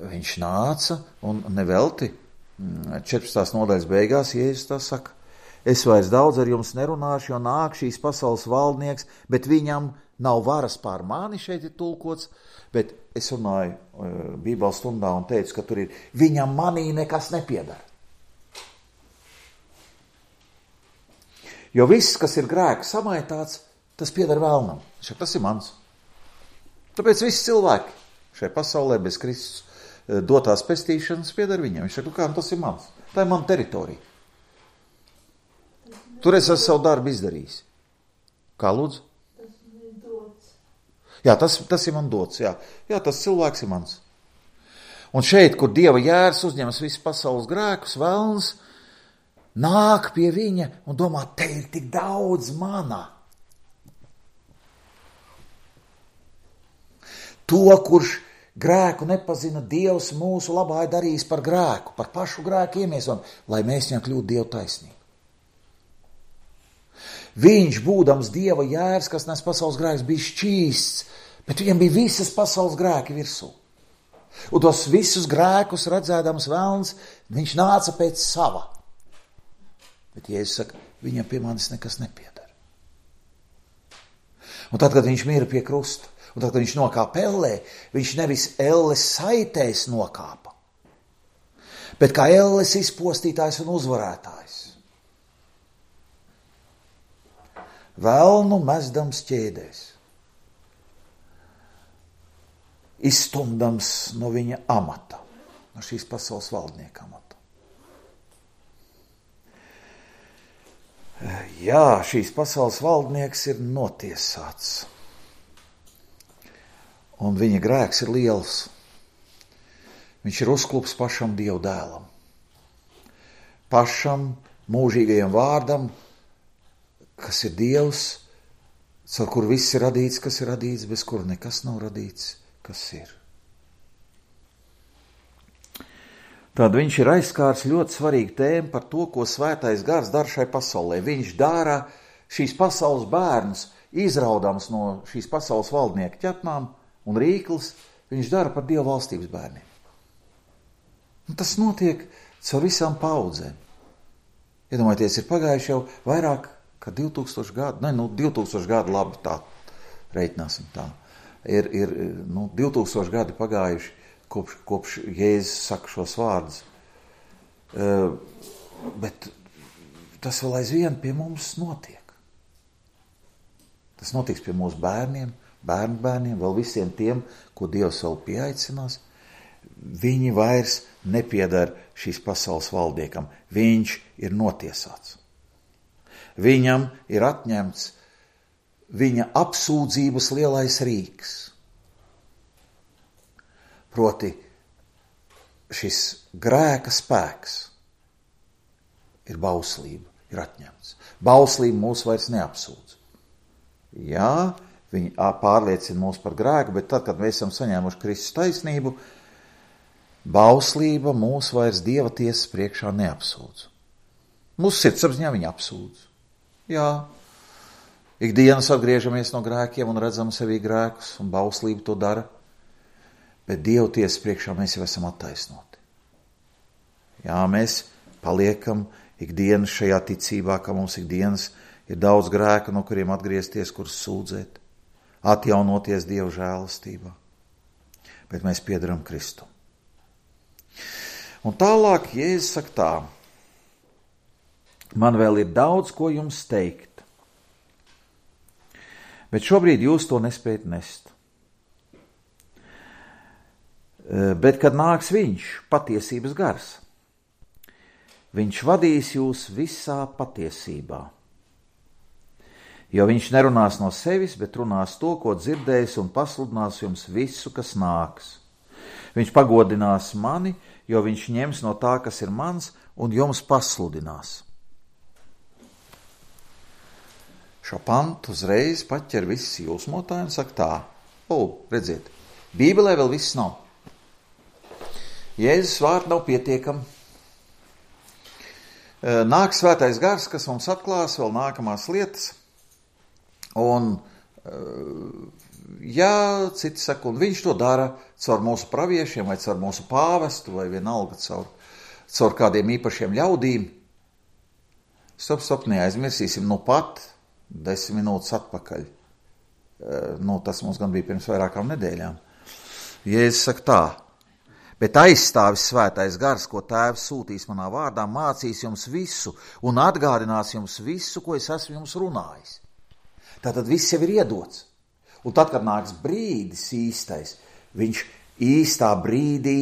Speaker 1: Viņš nāca un nevelti 14. nodaļas beigās Jēzus tā saka, Es vairs daudz ar jums nerunāšu, jo nāk šīs pasaules valdnieks, bet viņam nav varas pār mani, šeit ir tulkots, bet es runāju Bībeles stundā un teicu, ka tur ir, viņam manī nekas nepiedara. Jo viss, kas ir grēka samaitāts, tas piedara vēlnam. Tas ir mans. Tāpēc visi cilvēki šai pasaulē bez Kristus dotās pestīšanas piedara viņam. Viņš saka, kā tas ir mans. Tā ir mana teritorija. Tur es esmu savu darbu izdarījis. Kā lūdzu?
Speaker 2: Tas ir dots.
Speaker 1: Jā, tas ir man dots. Jā, tas cilvēks ir mans. Un šeit, kur Dieva jērs uzņemas visu pasaules grēkus, velns nāk pie viņa un domā, te ir tik daudz manā. To, kurš grēku nepazina, Dievs mūsu labā ir darījis par grēku, par pašu grēku iemiesojumu, lai mēs viņam kļūtu Dievu taisnību. Viņš, būdams Dieva jērs, kas nes pasaules grēkus, bija šķīsts, bet viņam bija visas pasaules grēki virsū. Un tos visus grēkus redzēdams velns, viņš nāca pēc sava. Bet Jēzus saka, viņam pie manis nekas nepiedara. Un tad, kad viņš mira pie krusta, un tad, kad viņš nokāpa ellē, viņš nevis elles saitēs nokāpa, bet kā elles izpostītājs un uzvarētājs. Velnu mezdams ķēdēs, izstumdams no viņa amata, no šīs pasaules valdnieka amata. Jā, šīs pasaules valdnieks ir notiesāts, un viņa grēks ir liels. Viņš ir uzklups pašam Dievu dēlam, pašam mūžīgajam vārdam, kas ir Dievs, caur kur viss ir radīts, kas ir radīts, bez kura nekas nav radīts, kas ir. Tad viņš ir aizskārs ļoti svarīgu tēmu par to, ko svētais gars dara šai pasaulē. Viņš dara šīs pasaules bērnus, izraudams no šīs pasaules valdnieka ķepnām un rīklis, viņš dara par Dieva valstības bērniem. Un tas notiek caur visām paudzēm. Iedomājieties, ir pagājuši jau vairāk kā 2000 gadu, 2000 gadu labi tā, reiķināsim tā. Ir 2000 gadi pagājuši, kopš Jēzus saka šos vārdus. Bet tas vēl aizvien pie mums notiek. Tas notiks pie mūsu bērniem, bērniem, vēl visiem tiem, ko Dievs vēl pieaicinās. Viņi vairs nepiedara šīs pasaules valdniekam. Viņš ir notiesāts. Viņam ir atņemts viņa apsūdzības lielais rīks. Proti, šis grēka spēks ir bauslība, ir atņemts. Bauslība mūs vairs neapsūdz. Jā, viņi pārliecina mūs par grēku, bet tad, kad mēs esam saņēmuši Kristus taisnību, bauslība mūs vairs Dieva tiesas priekšā neapsūdz. Mūsu sirdsapziņā viņa apsūdz. Jā, ikdienas atgriežamies no grēkiem un redzam sevī grēkus, un bauslība to dara, bet Dieva tiesas priekšā mēs jau esam attaisnoti. Jā, mēs paliekam ikdienas šajā ticībā, ka mums ikdienas ir daudz grēku, no kuriem atgriezties, kurus sūdzēt, atjaunoties Dieva žēlastībā, bet mēs piederam Kristum. Un tālāk Jēzus saka tā, man vēl ir daudz, ko jums teikt, bet šobrīd jūs to nespējat nest. Bet, kad nāks viņš, patiesības gars, viņš vadīs jūs visā patiesībā. Jo viņš nerunās no sevis, bet runās to, ko dzirdējis, un pasludinās jums visu, kas nāks. Viņš pagodinās mani, jo viņš ņems no tā, kas ir mans, un jums pasludinās. Šo pantu uzreiz paķer viss jūsmotāji un saka tā, redziet, Bībelē vēl viss nav. Jēzus vārdi nav pietiekami. Nāk svētais gars, kas mums atklās vēl nākamās lietas, un citi saka, un viņš to dara caur mūsu praviešiem, vai caur mūsu pāvestu, vai vienalga caur kādiem īpašiem ļaudīm. Stop, neaizmirsīsim pat 10 minūtes atpakaļ. Tas mums gan bija pirms vairākām nedēļām. Jēzus saka tā, bet aizstāvis svētais gars, ko Tēvs sūtīs manā vārdā, mācīs jums visu un atgādinās jums visu, ko es esmu jums runājis. Tātad viss jau ir iedots. Un tad, kad nāks brīdis īstais, viņš īstā brīdī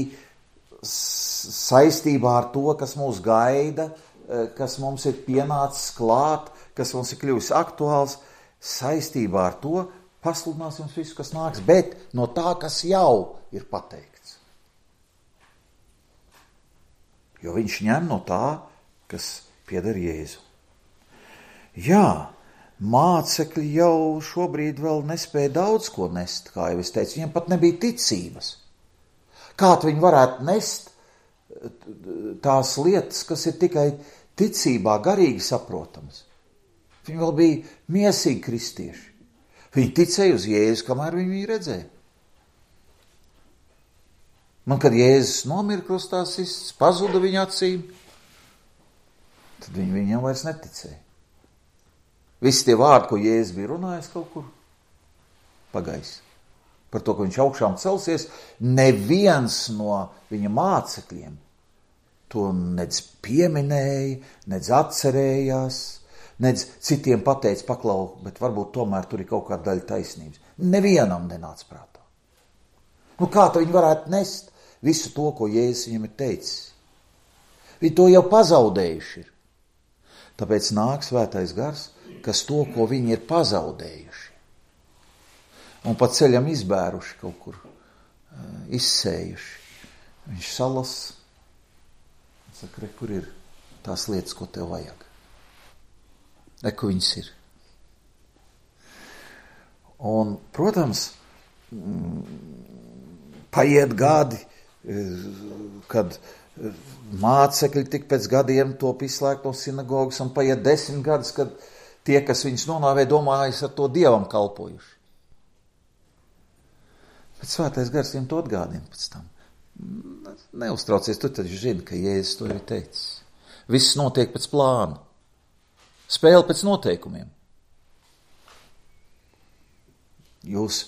Speaker 1: saistībā ar to, kas mūs gaida, kas mums ir pienācis klāt, kas mums ir kļuvis aktuāls, saistībā ar to pasludinās jums visu, kas nāks, bet no tā, kas jau ir pateikts. Jo viņš ņem no tā, kas pieder Jēzu. Jā, mācekļi jau šobrīd vēl nespēja daudz ko nest, kā jau es teicu, viņiem pat nebija ticības. Kā viņi varētu nest tās lietas, kas ir tikai ticībā, garīgi saprotamas? Viņi vēl bija miesīgi kristieši. Viņi ticēja uz Jēzu, kamēr viņi viņu redzēja. Man, kad Jēzus nomira krustā sists, pazuda viņa acīm, tad viņi viņam vairs neticēja. Visi tie vārdi, ko Jēzus bija runājis kaut kur, pagais. Par to, ka viņš augšām celsies, neviens no viņa mācekļiem to nedz pieminēja, nedz atcerējās, nedz citiem pateica paklau, bet varbūt tomēr tur ir kaut kāda daļa taisnības. Nevienam nenāca prātā. Kā tad viņi varētu nest visu to, ko Jēzus viņam ir teicis? Viņi to jau pazaudējuši ir. Tāpēc nāk svētais gars, kas to, ko viņi ir pazaudējuši, un pa ceļam izbēruši kaut kur, izsējuši. Viņš salas, saka, re, kur ir tās lietas, ko tev vajag? Re, kur viņas ir? Un, protams, paiet gadi, kad mācekļi tik pēc gadiem top izslēgt no sinagogas, un paiet 10 gadus, kad tie, kas viņus nonāvē, domājas ar to Dievam kalpojuši. Bet svētais gars viņam to atgādina pēc tam. Neuztraucies, tu taču zini, ka Jēzus to ir teicis. Viss notiek pēc plāna. Spēle pēc noteikumiem. Jūs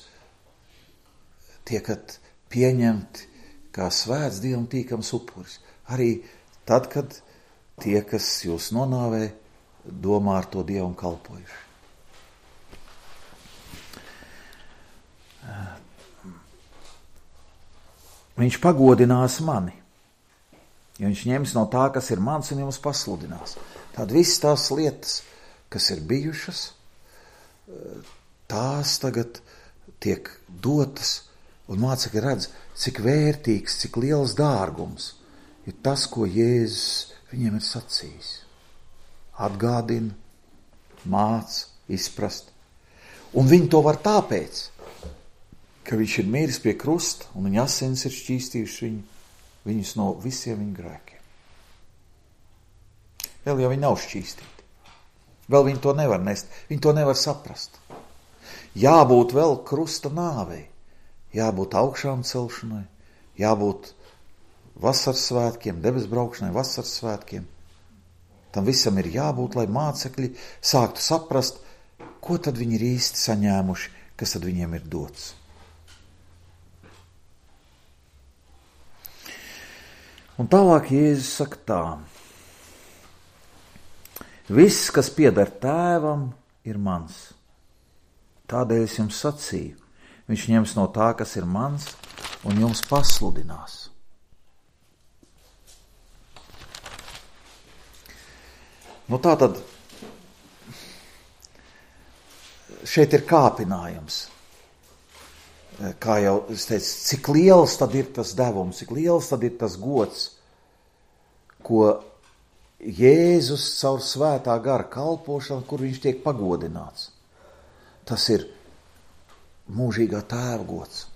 Speaker 1: tiekat pieņemti kā svēts Dievam tīkams upuris. Arī tad, kad tie, kas jūs nonāvē, domā ar to Dievam kalpojuši. Viņš pagodinās mani, ja viņš ņems no tā, kas ir mans, un jums pasludinās. Tad visas tās lietas, kas ir bijušas, tās tagad tiek dotas, un mācekļi redz, cik vērtīgs, cik liels dārgums ir tas, ko Jēzus viņiem ir sacījis. Atgādina, māca, izprast. Un viņi to var tāpēc, ka viņš ir miris pie krusta, un viņa asins ir šķīstījuši viņus no visiem viņa grēkiem. Vēl jau viņi nav šķīstīti. Vēl viņi to nevar nest, viņi to nevar saprast. Jābūt vēl krusta nāvei, jābūt augšām celšanai, jābūt vasaras svētkiem, debes braukšanai, vasaras svētkiem. Tam visam ir jābūt, lai mācekļi sāktu saprast, ko tad viņi ir īsti saņēmuši, kas tad viņiem ir dots. Un tālāk Jēzus saka tā. Viss, kas pieder tēvam, ir mans. Tādēļ es jums sacīju. Viņš ņems no tā, kas ir mans, un jums pasludinās. Tā tad šeit ir kāpinājums. Kā jau es teicu, cik liels tad ir tas devums, cik liels tad ir tas gods, ko Jēzus caur svētā gara kalpošanu, kur viņš tiek pagodināts. Tas ir mūžīgā tēva gods.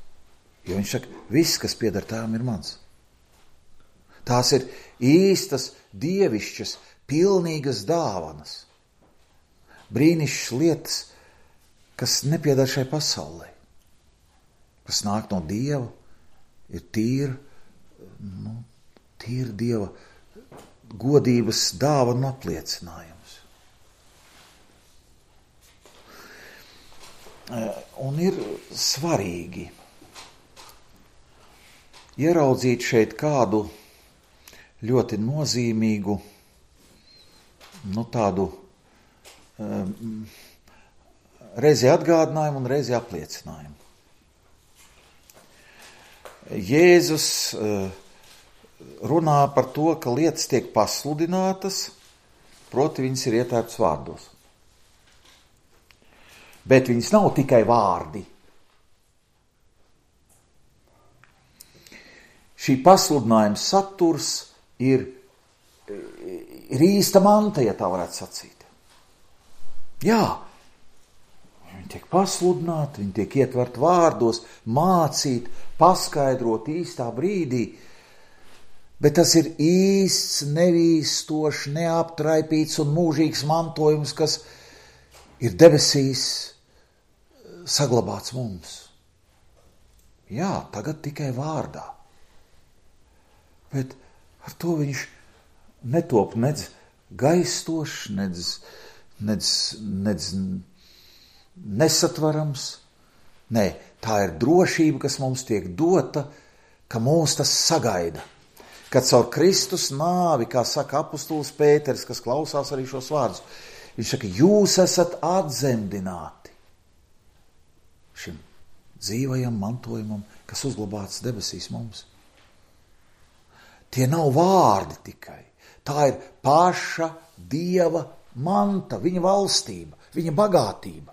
Speaker 1: Jo viņš saka, viss, kas pieder tēvam, ir mans. Tās ir īstas, dievišķas, pilnīgas dāvanas. Brīnišķas lietas, kas nepieder šai pasaulē. Kas nāk no Dieva, ir tīra Dieva godības dāvana apliecinājums. Un ir svarīgi ieraudzīt šeit kādu ļoti nozīmīgu, tādu reizi atgādinājumu un reizi apliecinājumu. Jēzus runā par to, ka lietas tiek pasludinātas, proti viņas ir ietērptas vārdos. Bet viņas nav tikai vārdi. Šī pasludinājuma saturs ir īsta manta, ja tā varētu sacīt. Jā, viņi tiek pasludināti, viņi tiek ietvert vārdos, mācīt, paskaidrot īstā brīdī, bet tas ir īsts, nevīstošs, neaptraipīts un mūžīgs mantojums, kas ir debesīs saglabāts mums. Jā, tagad tikai vārdā. Bet ar to viņš netop nedz gaistošs, nedz nesatvarams. Nē, tā ir drošība, kas mums tiek dota, ka mūs tas sagaida. Kad caur Kristus nāvi, kā saka apustulis Pēters, kas klausās arī šos vārdus, viņš saka, jūs esat atzemdināti šim dzīvajam mantojumam, kas uzglabāts debesīs mums. Tie nav vārdi tikai. Tā ir paša Dieva manta, viņa valstība, viņa bagātība,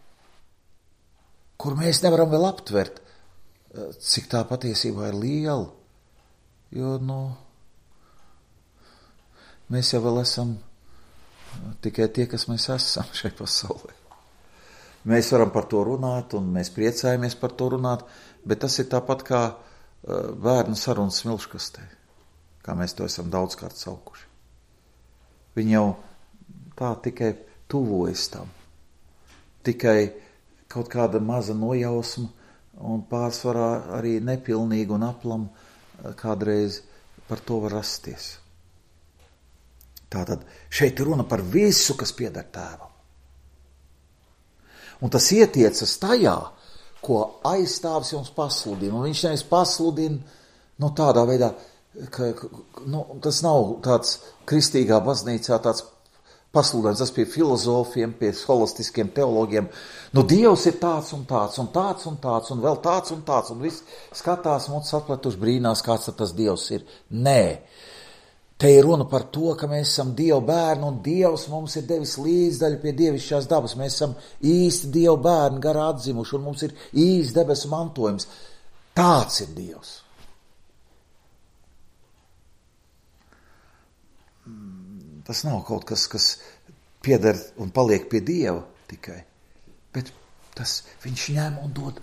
Speaker 1: kur mēs nevaram vēl aptvert, cik tā patiesībā ir liela. Jo, mēs jau vēl esam tikai tie, kas mēs esam šai pasaulē. Mēs varam par to runāt, un mēs priecājamies par to runāt, bet tas ir tāpat kā bērnu sarunas smilškastē, kā mēs to esam daudzkārt saukuši. Viņi jau tā tikai tuvojas tam, tikai kaut kāda maza nojausma un pārsvarā arī nepilnīga un aplam kādreiz par to var rasties. Tātad šeit ir runa par visu, kas pieder Tēvam. Un tas ietiecas tajā, ko aizstāvis jums pasludina. Un viņš nevis pasludina tādā veidā, ka tas nav tāds kristīgā baznīcā tāds pasludinājums, tas pie filozofiem, pie holistiskiem teologiem. Dievs ir tāds un tāds, un tāds un tāds, un vēl tāds un tāds, un viss skatās mums atpletuši brīnās, kāds tas Dievs ir. Nē. Te ir runa par to, ka mēs esam Dieva bērni, un Dievs mums ir devis līdzdaļu pie dievišķās dabas. Mēs esam īsti Dieva bērni, garā atzimuši, un mums ir īsts debesu mantojums. Tāds ir Dievs. Tas nav kaut kas, kas pieder un paliek pie Dieva tikai, bet tas viņš ņem un dod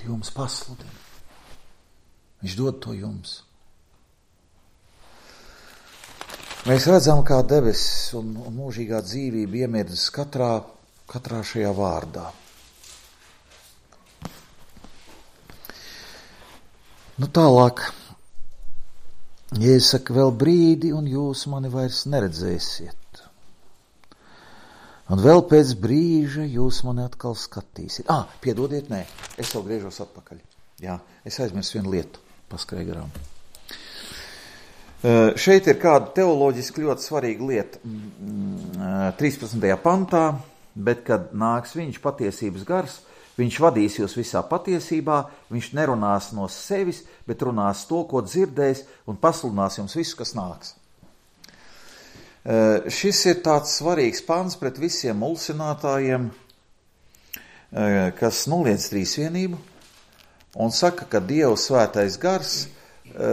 Speaker 1: jums pasludina. Viņš dod to jums. Mēs redzam, kā debesis un mūžīgā dzīvība iemirdas katrā šajā vārdā. Tālāk, Jēzus saka, vēl brīdi, un jūs mani vairs neredzēsiet. Un vēl pēc brīža jūs mani atkal skatīsiet. Piedodiet, nē, es vēl griežos atpakaļ. Jā, es aizmirsu vienu lietu, paskrēju garām. Šeit ir kāda teoloģiski ļoti svarīga lieta 13. pantā, bet kad nāks viņš patiesības gars, viņš vadīs jūs visā patiesībā, viņš nerunās no sevis, bet runās to, ko dzirdējis, un pasludinās jums visu, kas nāks. Šis ir tāds svarīgs pants pret visiem mulsinātājiem, kas noliedz trīsvienību un saka, ka Dieva svētais gars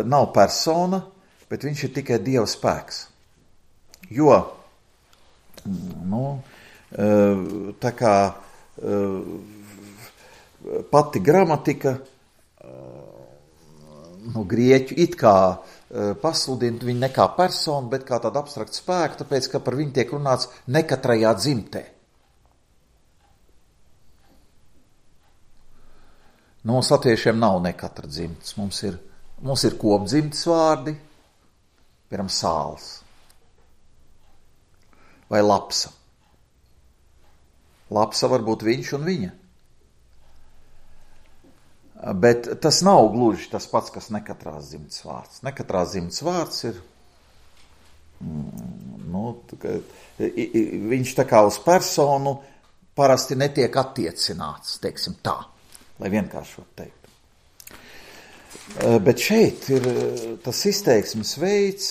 Speaker 1: nav persona, bet viņš ir tikai Dieva spēks. Jo, tā kā pati gramatika, grieķu it kā pasludina viņu ne kā personu, bet kā tādu abstraktu spēku, tāpēc, ka par viņu tiek runāts nekatrajā dzimtē. Mums latviešiem nav nekatra dzimtes. Mums ir kopdzimtes vārdi, piemēram, sāls vai lapsa. Lapsa var būt viņš un viņa. Bet tas nav gluži tas pats, kas nekatrās dzimtas vārds. Nekatrās dzimtas vārds ir, viņš tā kā uz personu parasti netiek attiecināts, teiksim tā, lai vienkāršot teikt. Bet šeit ir tas izteiksmes veids,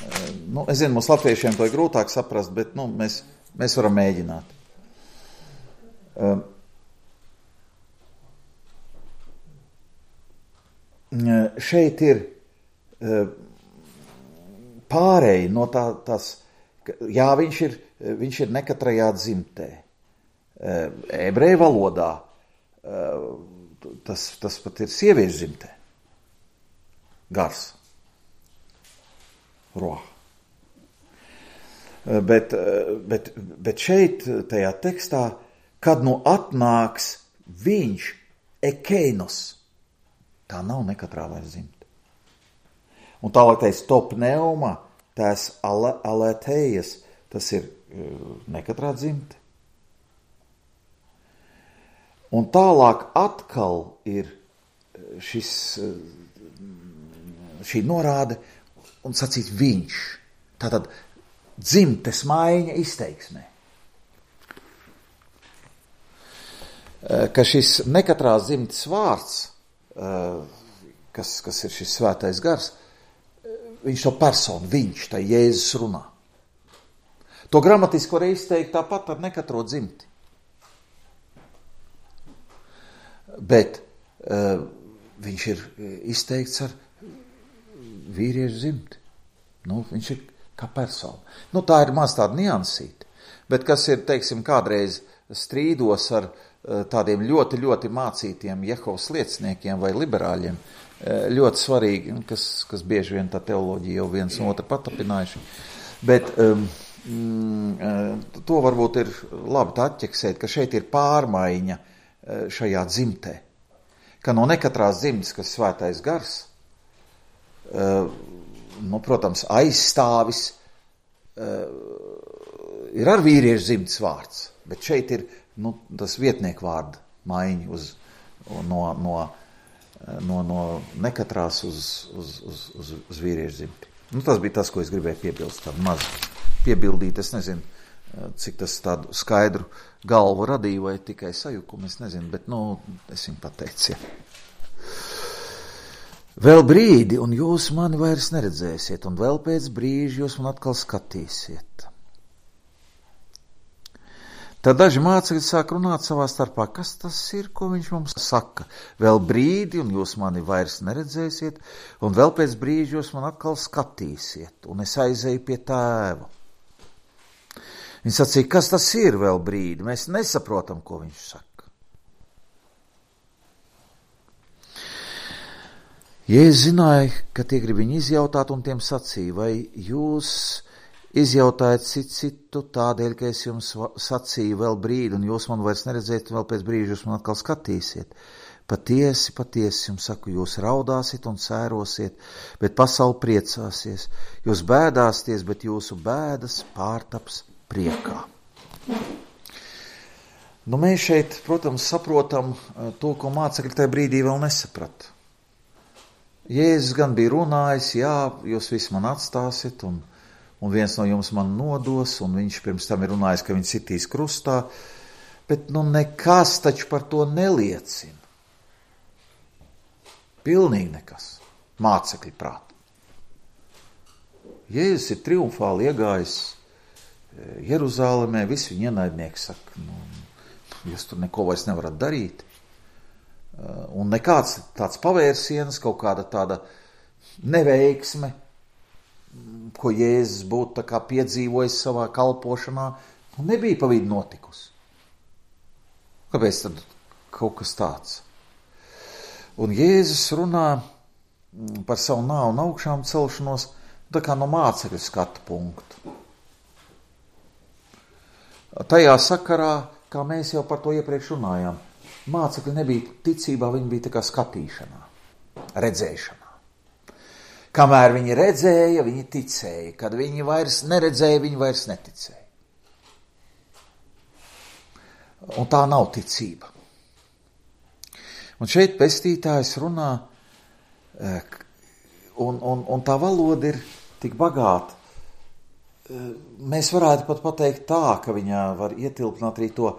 Speaker 1: es zinu, mums latviešiem to ir grūtāk saprast, bet mēs varam mēģināt. Šeit ir pārēji no tās, jā, viņš ir nekatrajā dzimtē. Ebreju valodā tas pat ir sieviešu dzimtē. Gars. Roh. Bet šeit, tajā tekstā, kad atnāks viņš, ekeinos, tā nav nekatrā vairs dzimta. Un tālāk teiks top pneuma, tās alētējas, tas ir nekatrā dzimta. Un tālāk atkal ir šī norāde un sacīt viņš. Tātad dzimtes maiņa izteiksmē. Ka šis nekatrās dzimtes vārds, kas ir šis svētais gars, viņš to personu, viņš, tā Jēzus runā. To gramatiski var izteikt tāpat ar nekatro dzimti. Bet viņš ir izteikts ar vīriešu dzimti. Viņš ir kā persona. Tā ir maz tāda niansīta. Bet kas ir, teiksim, kādreiz strīdos ar tādiem ļoti, ļoti mācītiem Jehovas lieciniekiem vai liberāļiem, ļoti svarīgi, kas bieži vien tā teoloģija jau viens no otru patapinājuši. Bet to varbūt ir labi tā atķeksēt, ka šeit ir pārmaiņa šajā dzimtē. Ka no nekatrās dzimtes, kas svētais gars, protams, aizstāvis ir ar vīriešu dzimtes vārds, bet šeit ir tas vietnieku vārda maiņa no nekatrās uz vīriešu dzimti. Tas bija tas, ko es gribēju piebilst, tādu mazu piebildīt, es nezinu, cik tas tādu skaidru galvu radīja vai tikai sajukumu, es nezinu, bet, es viņu pateicu, ja. Vēl brīdi, un jūs mani vairs neredzēsiet, un vēl pēc brīža jūs man atkal skatīsiet. Tad daži mācekļi sāk runāt savā starpā, kas tas ir, ko viņš mums saka. Vēl brīdi, un jūs mani vairs neredzēsiet, un vēl pēc brīža jūs man atkal skatīsiet, un es aizēju pie tēva. Viņi sacīja, kas tas ir vēl brīdi, mēs nesaprotam, ko viņš saka. Jēzus zināja, ka tie grib viņu izjautāt, un tiem sacīja, vai jūs izjautājat citu tādēļ, ka es jums sacīju vēl brīdi, un jūs man vairs neredzēt, un vēl pēc brīža jūs man atkal skatīsiet. Patiesi, jums saku, jūs raudāsiet un sērosiet, bet pasaule priecāsies. Jūs bēdāsieties, bet jūsu bēdas pārtaps priekā. Mēs šeit, protams, saprotam to, ko mācekļi tajā brīdī vēl nesaprata. Jēzus gan bija runājis, jā, jūs visi man atstāsiet, un viens no jums man nodos, un viņš pirms tam ir runājis, ka viņš sitīs krustā, bet nekas taču par to neliecina. Pilnīgi nekas. Mācekļi prāt. Jēzus ir triumfāli iegājis Jeruzālemē, visi viņa ienaidnieki saka, jūs tur neko vairs nevarat darīt. Un nekāds tāds pavērsiens, kaut kāda tāda neveiksme, ko Jēzus būtu tā kā piedzīvojis savā kalpošanā, nebija pa vidu notikusi. Kāpēc tad kaut kas tāds? Un Jēzus runā par savu nāvu un augšām celšanos tā kā no mācekļu skatu punktu. Tajā sakarā, kā mēs jau par to iepriekš runājām, mācekļi nebija ticībā, viņi bija tā kā skatīšanā, redzēšanā. Kamēr viņi redzēja, viņi ticēja. Kad viņi vairs neredzēja, viņi vairs neticēja. Un tā nav ticība. Un šeit pestītājs runā, un tā valoda ir tik bagāta. Mēs varētu pat pateikt tā, ka viņā var ietilpināt arī to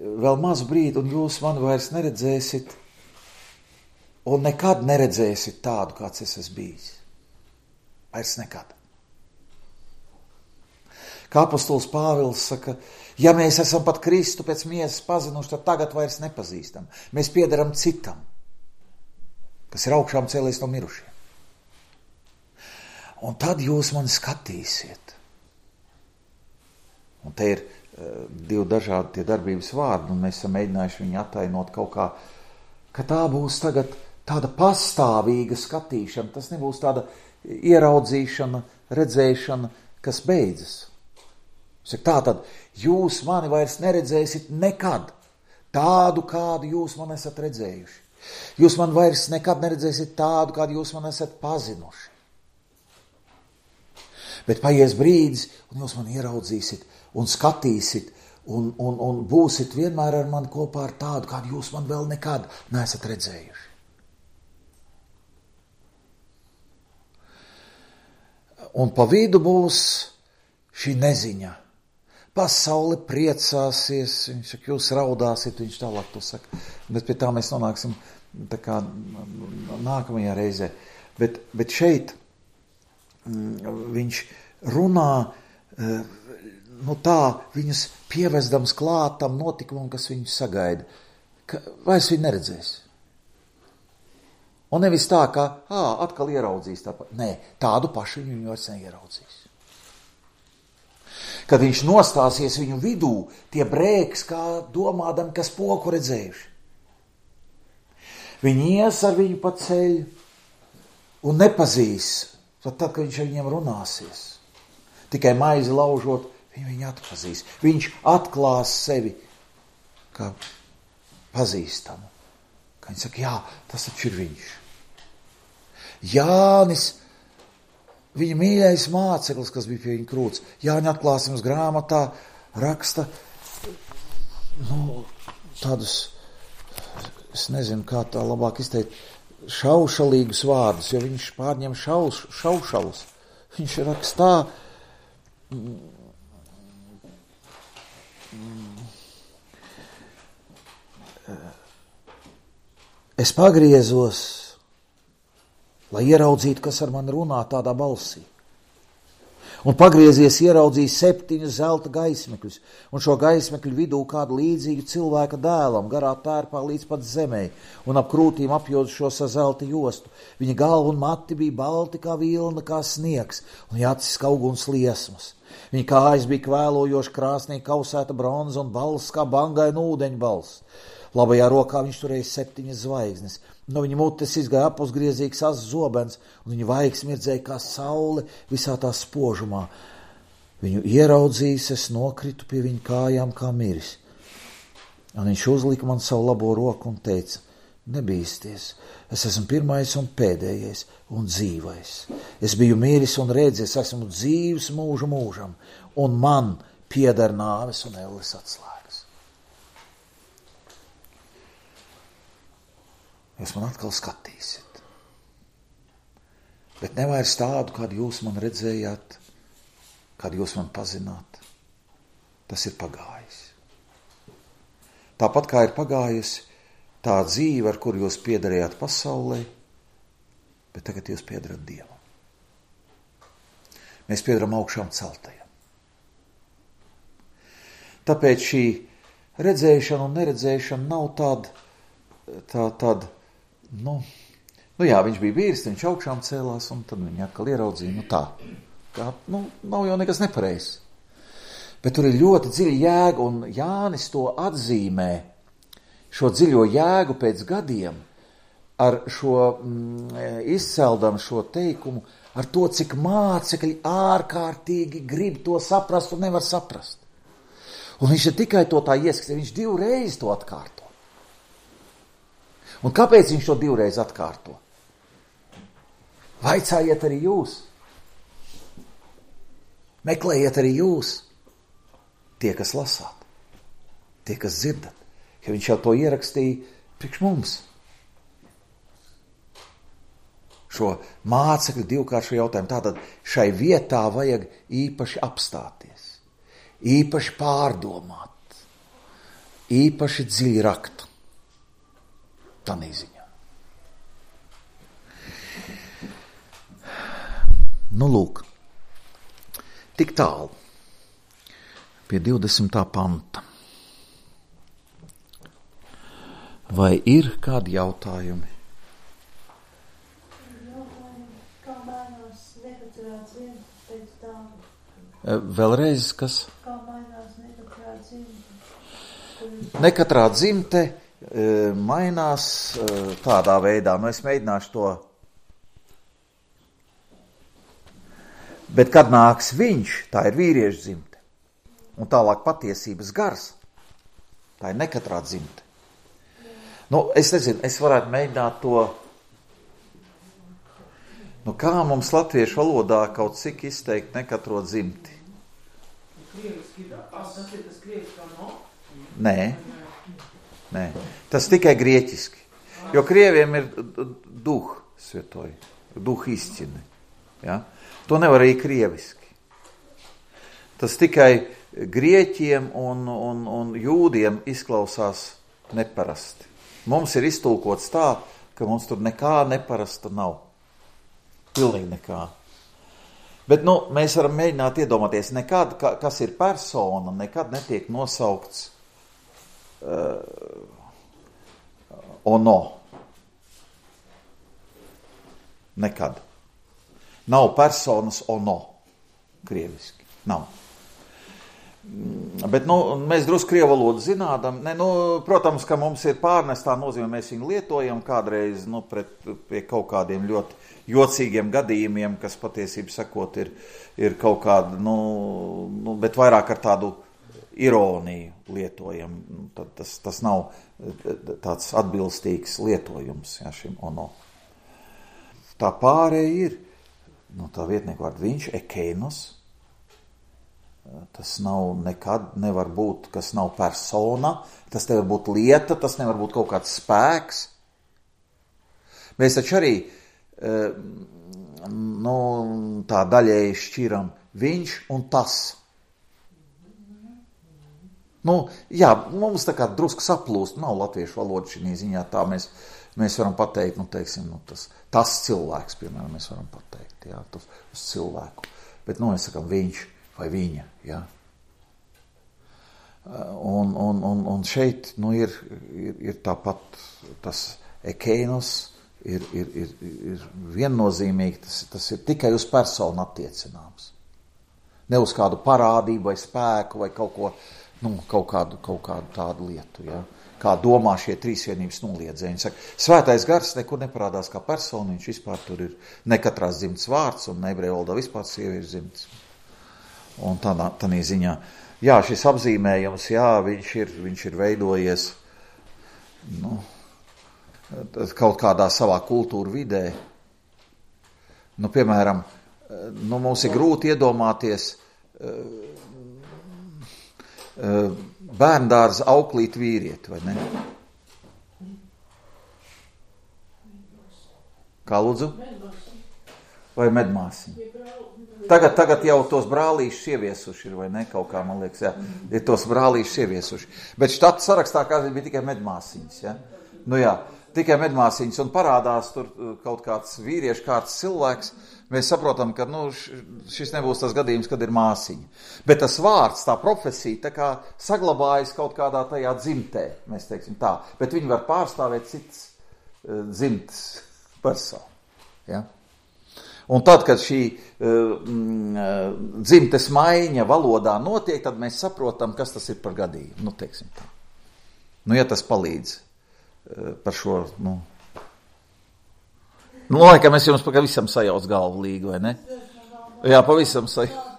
Speaker 1: vēl mazu brīdi, un jūs mani vairs neredzēsit, un nekad neredzēsit tādu, kāds es esmu bijis. Vairs nekad. Kā apostols Pāvils saka, ja mēs esam pat Kristu pēc miesas pazinuši, tad tagad vairs nepazīstam. Mēs piederam citam, kas ir augšām cēlies no mirušiem. Un tad jūs mani skatīsiet. Un te ir divi dažādi tie darbības vārdi, un mēs esam mēģinājuši viņu attainot kaut kā, ka tā būs tagad tāda pastāvīga skatīšana, tas nebūs tāda ieraudzīšana, redzēšana, kas beidzas. Tā tad jūs mani vairs neredzēsit nekad tādu, kādu jūs man esat redzējuši. Jūs man vairs nekad neredzēsit tādu, kādu jūs man esat pazinuši. Bet paies brīdis, un jūs mani ieraudzīsit un skatīsit, un būsit vienmēr ar mani kopā ar tādu, kādu jūs man vēl nekad neesat redzējuši. Un pa vidu būs šī neziņa. Pasaule priecāsies, viņš saka, jūs raudāsiet, viņš tālāk to saka. Bet pie tā mēs nonāksim tā kā nākamajā reizē. Bet šeit viņš runā, tā viņus pievezdams klātam notikumam, kas viņus sagaida. Vairs viņi neredzēs. Un nevis tā, ka atkal ieraudzīs tāpat. Nē, tādu pašu viņu vairs neieraudzīs. Kad viņš nostāsies viņu vidū, tie brēks, kā domādam, kas poku redzējuši. Viņi ies ar viņu pa ceļu un nepazīs, tad, kad viņš ar viņiem runāsies. Tikai maizi laužot, viņu atpazīs. Viņš atklās sevi kā pazīstamu. Kā viņi saka, jā, tas taču ir viņš. Jānis, viņa mīļais māceklis, kas bija pie viņa krūts, Jāņa atklāsmes grāmatā raksta, tādus, es nezinu, kā tā labāk izteikt, šaušalīgus vārdus, jo viņš pārņem šaušalus. Viņš rakstā, es pagriezos, lai ieraudzītu, kas ar mani runā tādā balsī. Un pagriezies ieraudzīja 7 zelta gaismekļus, un šo gaismekļu vidū kādu līdzīgu cilvēka dēlam, garā tērpā līdz pat zemē, un ap krūtīm apjodušos ar zelta jostu. Viņa galva un mati bija balti kā vilna, kā sniegs, un viņa acis kā uguns liesmas. Viņa kājas bija kvēlojoši krāsnī kausēta bronza un balss kā bangaina ūdeņa balss. Labajā rokā viņš turēja 7 zvaigznes. No viņa mutes izgāja apusgriezīgs azs zobens, un viņa vaigs mirdzēja kā saule visā tā spožumā. Viņu ieraudzījis, es nokritu pie viņa kājām kā miris. Un viņš uzlika man savu labo roku un teica, nebīsties, es esmu pirmais un pēdējais un dzīvais. Es biju miris un redzis, esmu dzīvs mūžu mūžam, un man pieder nāves un elles atslēgas. Jūs man atkal skatīsiet. Bet nevairs tādu, kādu jūs man redzējāt, kādu jūs man pazināt. Tas ir pagājis. Tāpat kā ir pagājusi tā dzīve, ar kuru jūs piederējāt pasaulē, bet tagad jūs piederat Dievam. Mēs piederam augšām celtajam. Tāpēc šī redzēšana un neredzēšana nav tāda, jā, viņš bija vīrs, viņš augšām cēlās, un tad viņi atkal ieraudzīja, nav jau nekas nepareizs. Bet tur ir ļoti dziļa jēga, un Jānis to atzīmē, šo dziļo jēgu pēc gadiem, ar šo izceldam šo teikumu, ar to, cik mācekļi ārkārtīgi grib to saprast un nevar saprast. Un viņš ir tikai to tā ieskatījis, viņš 2 reizes to atkārto. Un kāpēc viņš to 2 reizes atkārto? Vaicājiet arī jūs. Meklējiet arī jūs. Tie, kas lasāt. Tie, kas dzirdat. Ja viņš jau to ierakstīja Priekš mums. Šo mācekļu divkāršu jautājumu. Tātad šai vietā vajag īpaši apstāties, īpaši pārdomāt, īpaši dziļi rakt. Tādā ziņā. Nu, lūk, tik tālu pie 20. panta. Vai ir kādi jautājumi?
Speaker 2: Kā mainās nekatrā dzimta pēc tam?
Speaker 1: Vēlreiz, kas?
Speaker 2: Kā mainās nekatrā dzimta?
Speaker 1: Nekatrā dzimte mainās tādā veidā. Nu, es mēģināšu to. Bet kad nāks viņš, tā ir vīriešu dzimte. Un tālāk patiesības gars, tā ir nekatrā dzimte. Nu, es nezinu, es varētu mēģināt to, nu kā mums latviešu valodā kaut cik izteikt nekatro dzimti? Nē, tas tikai grieķiski, jo krieviem ir duh svietoji, duh izcini, ja? To nevar arī krieviski. Tas tikai grieķiem un jūdiem izklausās neparasti. Mums ir iztulkots tā, ka mums tur nekā neparasta nav. Pilnīgi nekā. Bet, nu, mēs varam mēģināt iedomāties, nekad, kas ir persona, nekad netiek nosaukts ono. Nekad. Nav personas ono. Krieviski. Nav. Bet, nu, mēs drusku krievu valodu zinādam. Protams, ka mums ir pārnestā nozīme, mēs viņu lietojam kādreiz, pie kaut kādiem ļoti jocīgiem gadījumiem, kas patiesībā sakot ir kaut kāda, bet vairāk ar tādu ironiju lietojam. Tad tas nav tāds atbilstīgs lietojums, ja, šim ono. Tā pārēja ir, tā vietnieku vārdu viņš, ekeinos. Tas nav nekad, nevar būt, kas nav persona, tas nevar būt lieta, tas nevar būt kaut kāds spēks. Mēs taču arī tā daļēji šķiram viņš un tas. Jā, mums tā kā drusku saplūst, nav latviešu valoda šī ziņā, tā mēs varam pateikt, tas cilvēks, piemēram, mēs varam pateikt, jā, tas cilvēku. Bet, mēs sakam viņš vai viņa, jā. Un šeit, ir tāpat tas ekeinos, ir viennozīmīgi, tas ir tikai uz personu attiecināms. Ne uz kādu parādību vai spēku vai kaut ko, kaut kādu tādu lietu, jā. Kā domā šie trīsvienības noliedzēji. Saka, svētais gars nekur neparādās kā persona, viņš vispār tur ir nekatrās dzimtas vārds, un ebreju valodā vispār sieviešu dzimtas. Un tādā ziņā, jā, šis apzīmējums, jā, viņš ir veidojies, kaut kādā savā kultūra vidē. Piemēram, mums ir grūti iedomāties bērndārza auklīt vīrieti, vai ne? Kā lūdzu? Vai medmāsiņu? Tagad jau tos brālīšus ieviesuši ir, vai ne? Kaut kā, man liekas, jā, ir tos brālīšus ieviesuši. Bet štatu sarakstā kādreiz bija tikai medmāsiņas, ja? Jā, tikai medmāsiņas, un parādās tur kaut kāds vīriešu kārtas cilvēks. Mēs saprotam, ka šis nebūs tas gadījums, kad ir māsiņa. Bet tas vārds, tā profesija, tā kā saglabājas kaut kādā tajā dzimtē, mēs teiksim tā. Bet viņi var pārstāvēt citas dzimtas personu. Ja? Un tad, kad šī dzimtes maiņa valodā notiek, tad mēs saprotam, kas tas ir par gadījumu. Teiksim tā. Ja tas palīdz par šo, laikam es jums pavisam sajauc galvu līgu, vai ne? Jā, pavisam sajauc.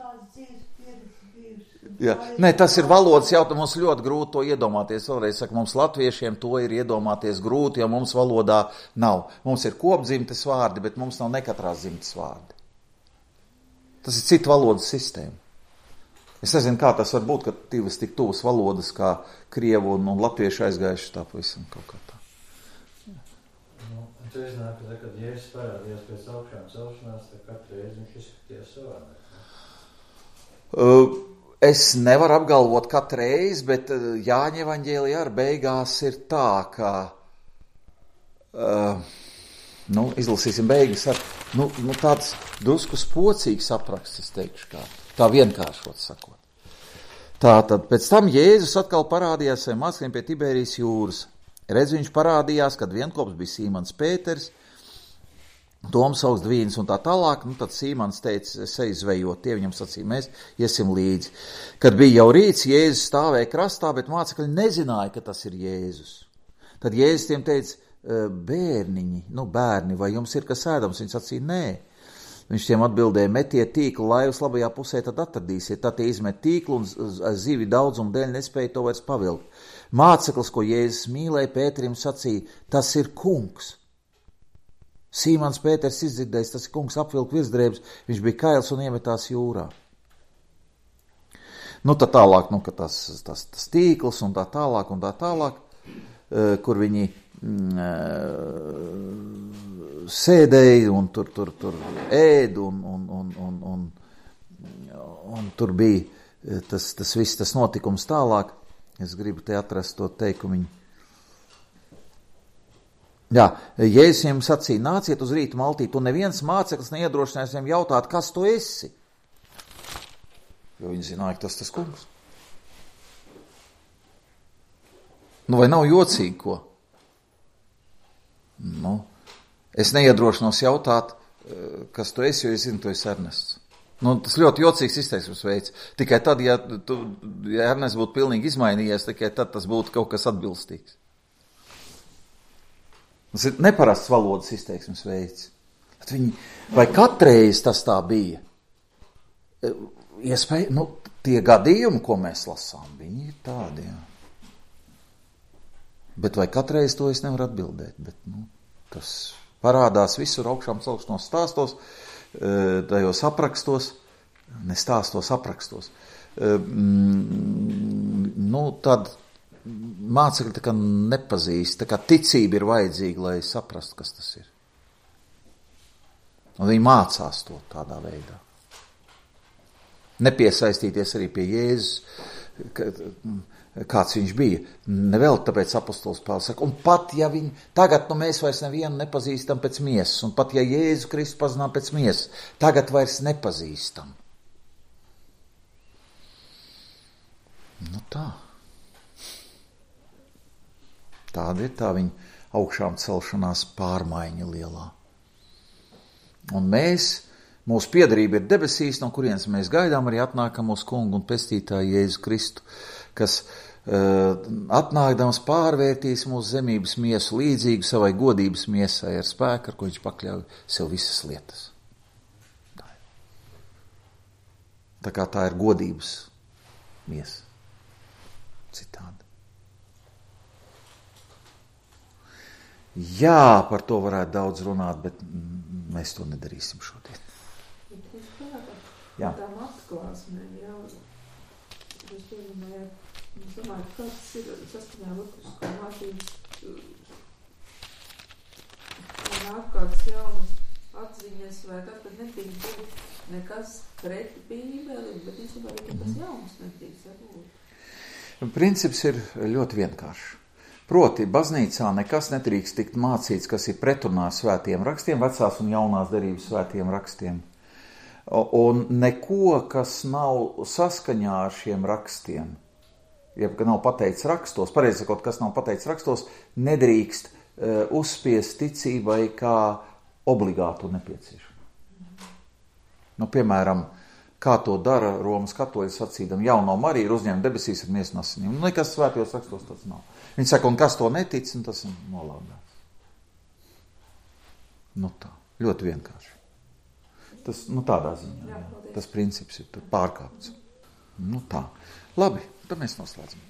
Speaker 1: Jā. Nē, tas ir valodas jautājums, mums ļoti grūti to iedomāties. Vēlreiz saku, mums latviešiem to ir iedomāties grūti, jo mums valodā nav. Mums ir kopdzimtes vārdi, bet mums nav nekatrās dzimtes vārdi. Tas ir cita valodas sistēma. Es nezinu, kā tas var būt, ka divas tik tuvas valodas kā krievu un latviešu aizgājuši tā pavisam kaut kā tā.
Speaker 3: Tu iznāk, kad Jēzus parādījās pēc augšām celšanās, tad katru reizi viņš izskatījās savādāk.
Speaker 1: Es nevaru apgalvot katru reizi, bet Jāņa evaņģēlijā ar beigās ir tā, ka, izlasīsim beigas ar, tāds drusku spocīgs apraksts, es teikšu kā, tā vienkāršot sakot. Tātad, pēc tam Jēzus atkal parādījās saviem mācekļiem pie Tiberijas jūras. Redz, viņš parādījās, kad vienkops bija Sīmans Pēters, Toms augst Dvīns un tā tālāk, tad Sīmans teica, es eju zvejot, tie viņam sacīja, mēs iesim līdzi. Kad bija jau rīts, Jēzus stāvēja krastā, bet mācekļi nezināja, ka tas ir Jēzus. Tad Jēzus tiem teica, bērni, vai jums ir kas ēdams? Viņi sacīja, nē. Viņš tiem atbildēja, metiet tīklu laivas labajā pusē, tad atradīsiet. Tad tie izmet tīklu un zivi daudzumu dēļ nespēja to vairs pavilkt. Māceklis, ko Jēzus mīlēja, Pēterim sacīja, tas ir kungs. Sīmans Pēters izdzirdējis, tas ir kungs, apvilka virsdrēbes, viņš bija kails un iemetās jūrā. Tad tālāk, ka tas tīkls un tā tālāk, kur viņi sēdēja un tur ēd un tur bija tas viss, tas notikums tālāk. Es gribu te atrast to teikumiņu. Jā, Jēzus viņiem sacīja, nāciet uz rītu maltīt, un neviens māceklis neiedrošinājās viņiem jautāt, kas tu esi? Jo viņi zināja, ka tas kungs. Vai nav jocīgi, ko? Es neiedrošinos jautāt, kas tu esi, jo es zinu, tu esi Ernests. Tas ļoti jocīgs izteiksmes veids. Tikai tad, ja Ernests būtu pilnīgi izmainījies, tikai tad tas būtu kaut kas atbilstīgs. Tas ir neparasts valodas izteiksmes veids. Vai katreiz tas tā bija? Iespēja, tie gadījumi, ko mēs lasām, viņi ir tādi, jā. Bet vai katreiz to es nevaru atbildēt? Bet, tas parādās visur augšām celšanos stāstos, tajos aprakstos, ne stāstos, aprakstos. Tad mācekļi tā kā nepazīst, tā kā ticība ir vajadzīga, lai saprastu, kas tas ir. Un viņi mācās to tādā veidā. Nepiesaistīties arī pie Jēzus, kāds viņš bija. Nevēl tāpēc apostols Pāvils saka, un pat ja tagad mēs vairs nevienu nepazīstam pēc miesas, un pat ja Jēzu Kristu pazinām pēc miesas, tagad vairs nepazīstam. Tā. Tāda ir tā viņa augšām celšanās pārmaiņa lielā. Un mūsu piederība ir debesīs, no kurienes mēs gaidām arī atnākam mūsu kungu un pestītāju Jēzu Kristu, kas atnākdams pārvērtīs mūsu zemības miesu līdzīgu savai godības miesai ar spēku, ar ko viņš pakļauj sev visas lietas. Tā kā tā ir godības miesa. Citādi. Jā, par to varētu daudz runāt, bet mēs to nedarīsim šodien.
Speaker 2: Jā. Tām atklāsmēm, jā. Es domāju, kāds ir saskaņā likumiskā mācības ārkārtas jaunas atziņas, vai tas, kad netīk būt nekas preti Bībeli, bet īstenībā arī tas jaunas netīks jābūt.
Speaker 1: Princips ir ļoti vienkāršs. Proti, baznīcā nekas netrīkst tikt mācīts, kas ir pretrunā svētiem rakstiem, vecās un jaunās derības svētiem rakstiem. Un neko, kas nav saskaņā ar šiem rakstiem, jeb ka nav pateikts rakstos, pareizi sakot, kas nav pateikts rakstos, nedrīkst uzspiest ticībai kā obligātu nepieciešamu. Piemēram, kā to dara Romas katoļi sacīdam, jauno Mariju ir uzņemta debesīs ar miesu un asinīm. Nekas svētajos rakstos tāds nav. Viņi saka, un kas to netic, un tas ir nolādēts. Tā, ļoti vienkārši. Tas, tādā ziņā, jā. Tas princips ir pārkāpts. Tā. Labi, tad mēs noslēdzam.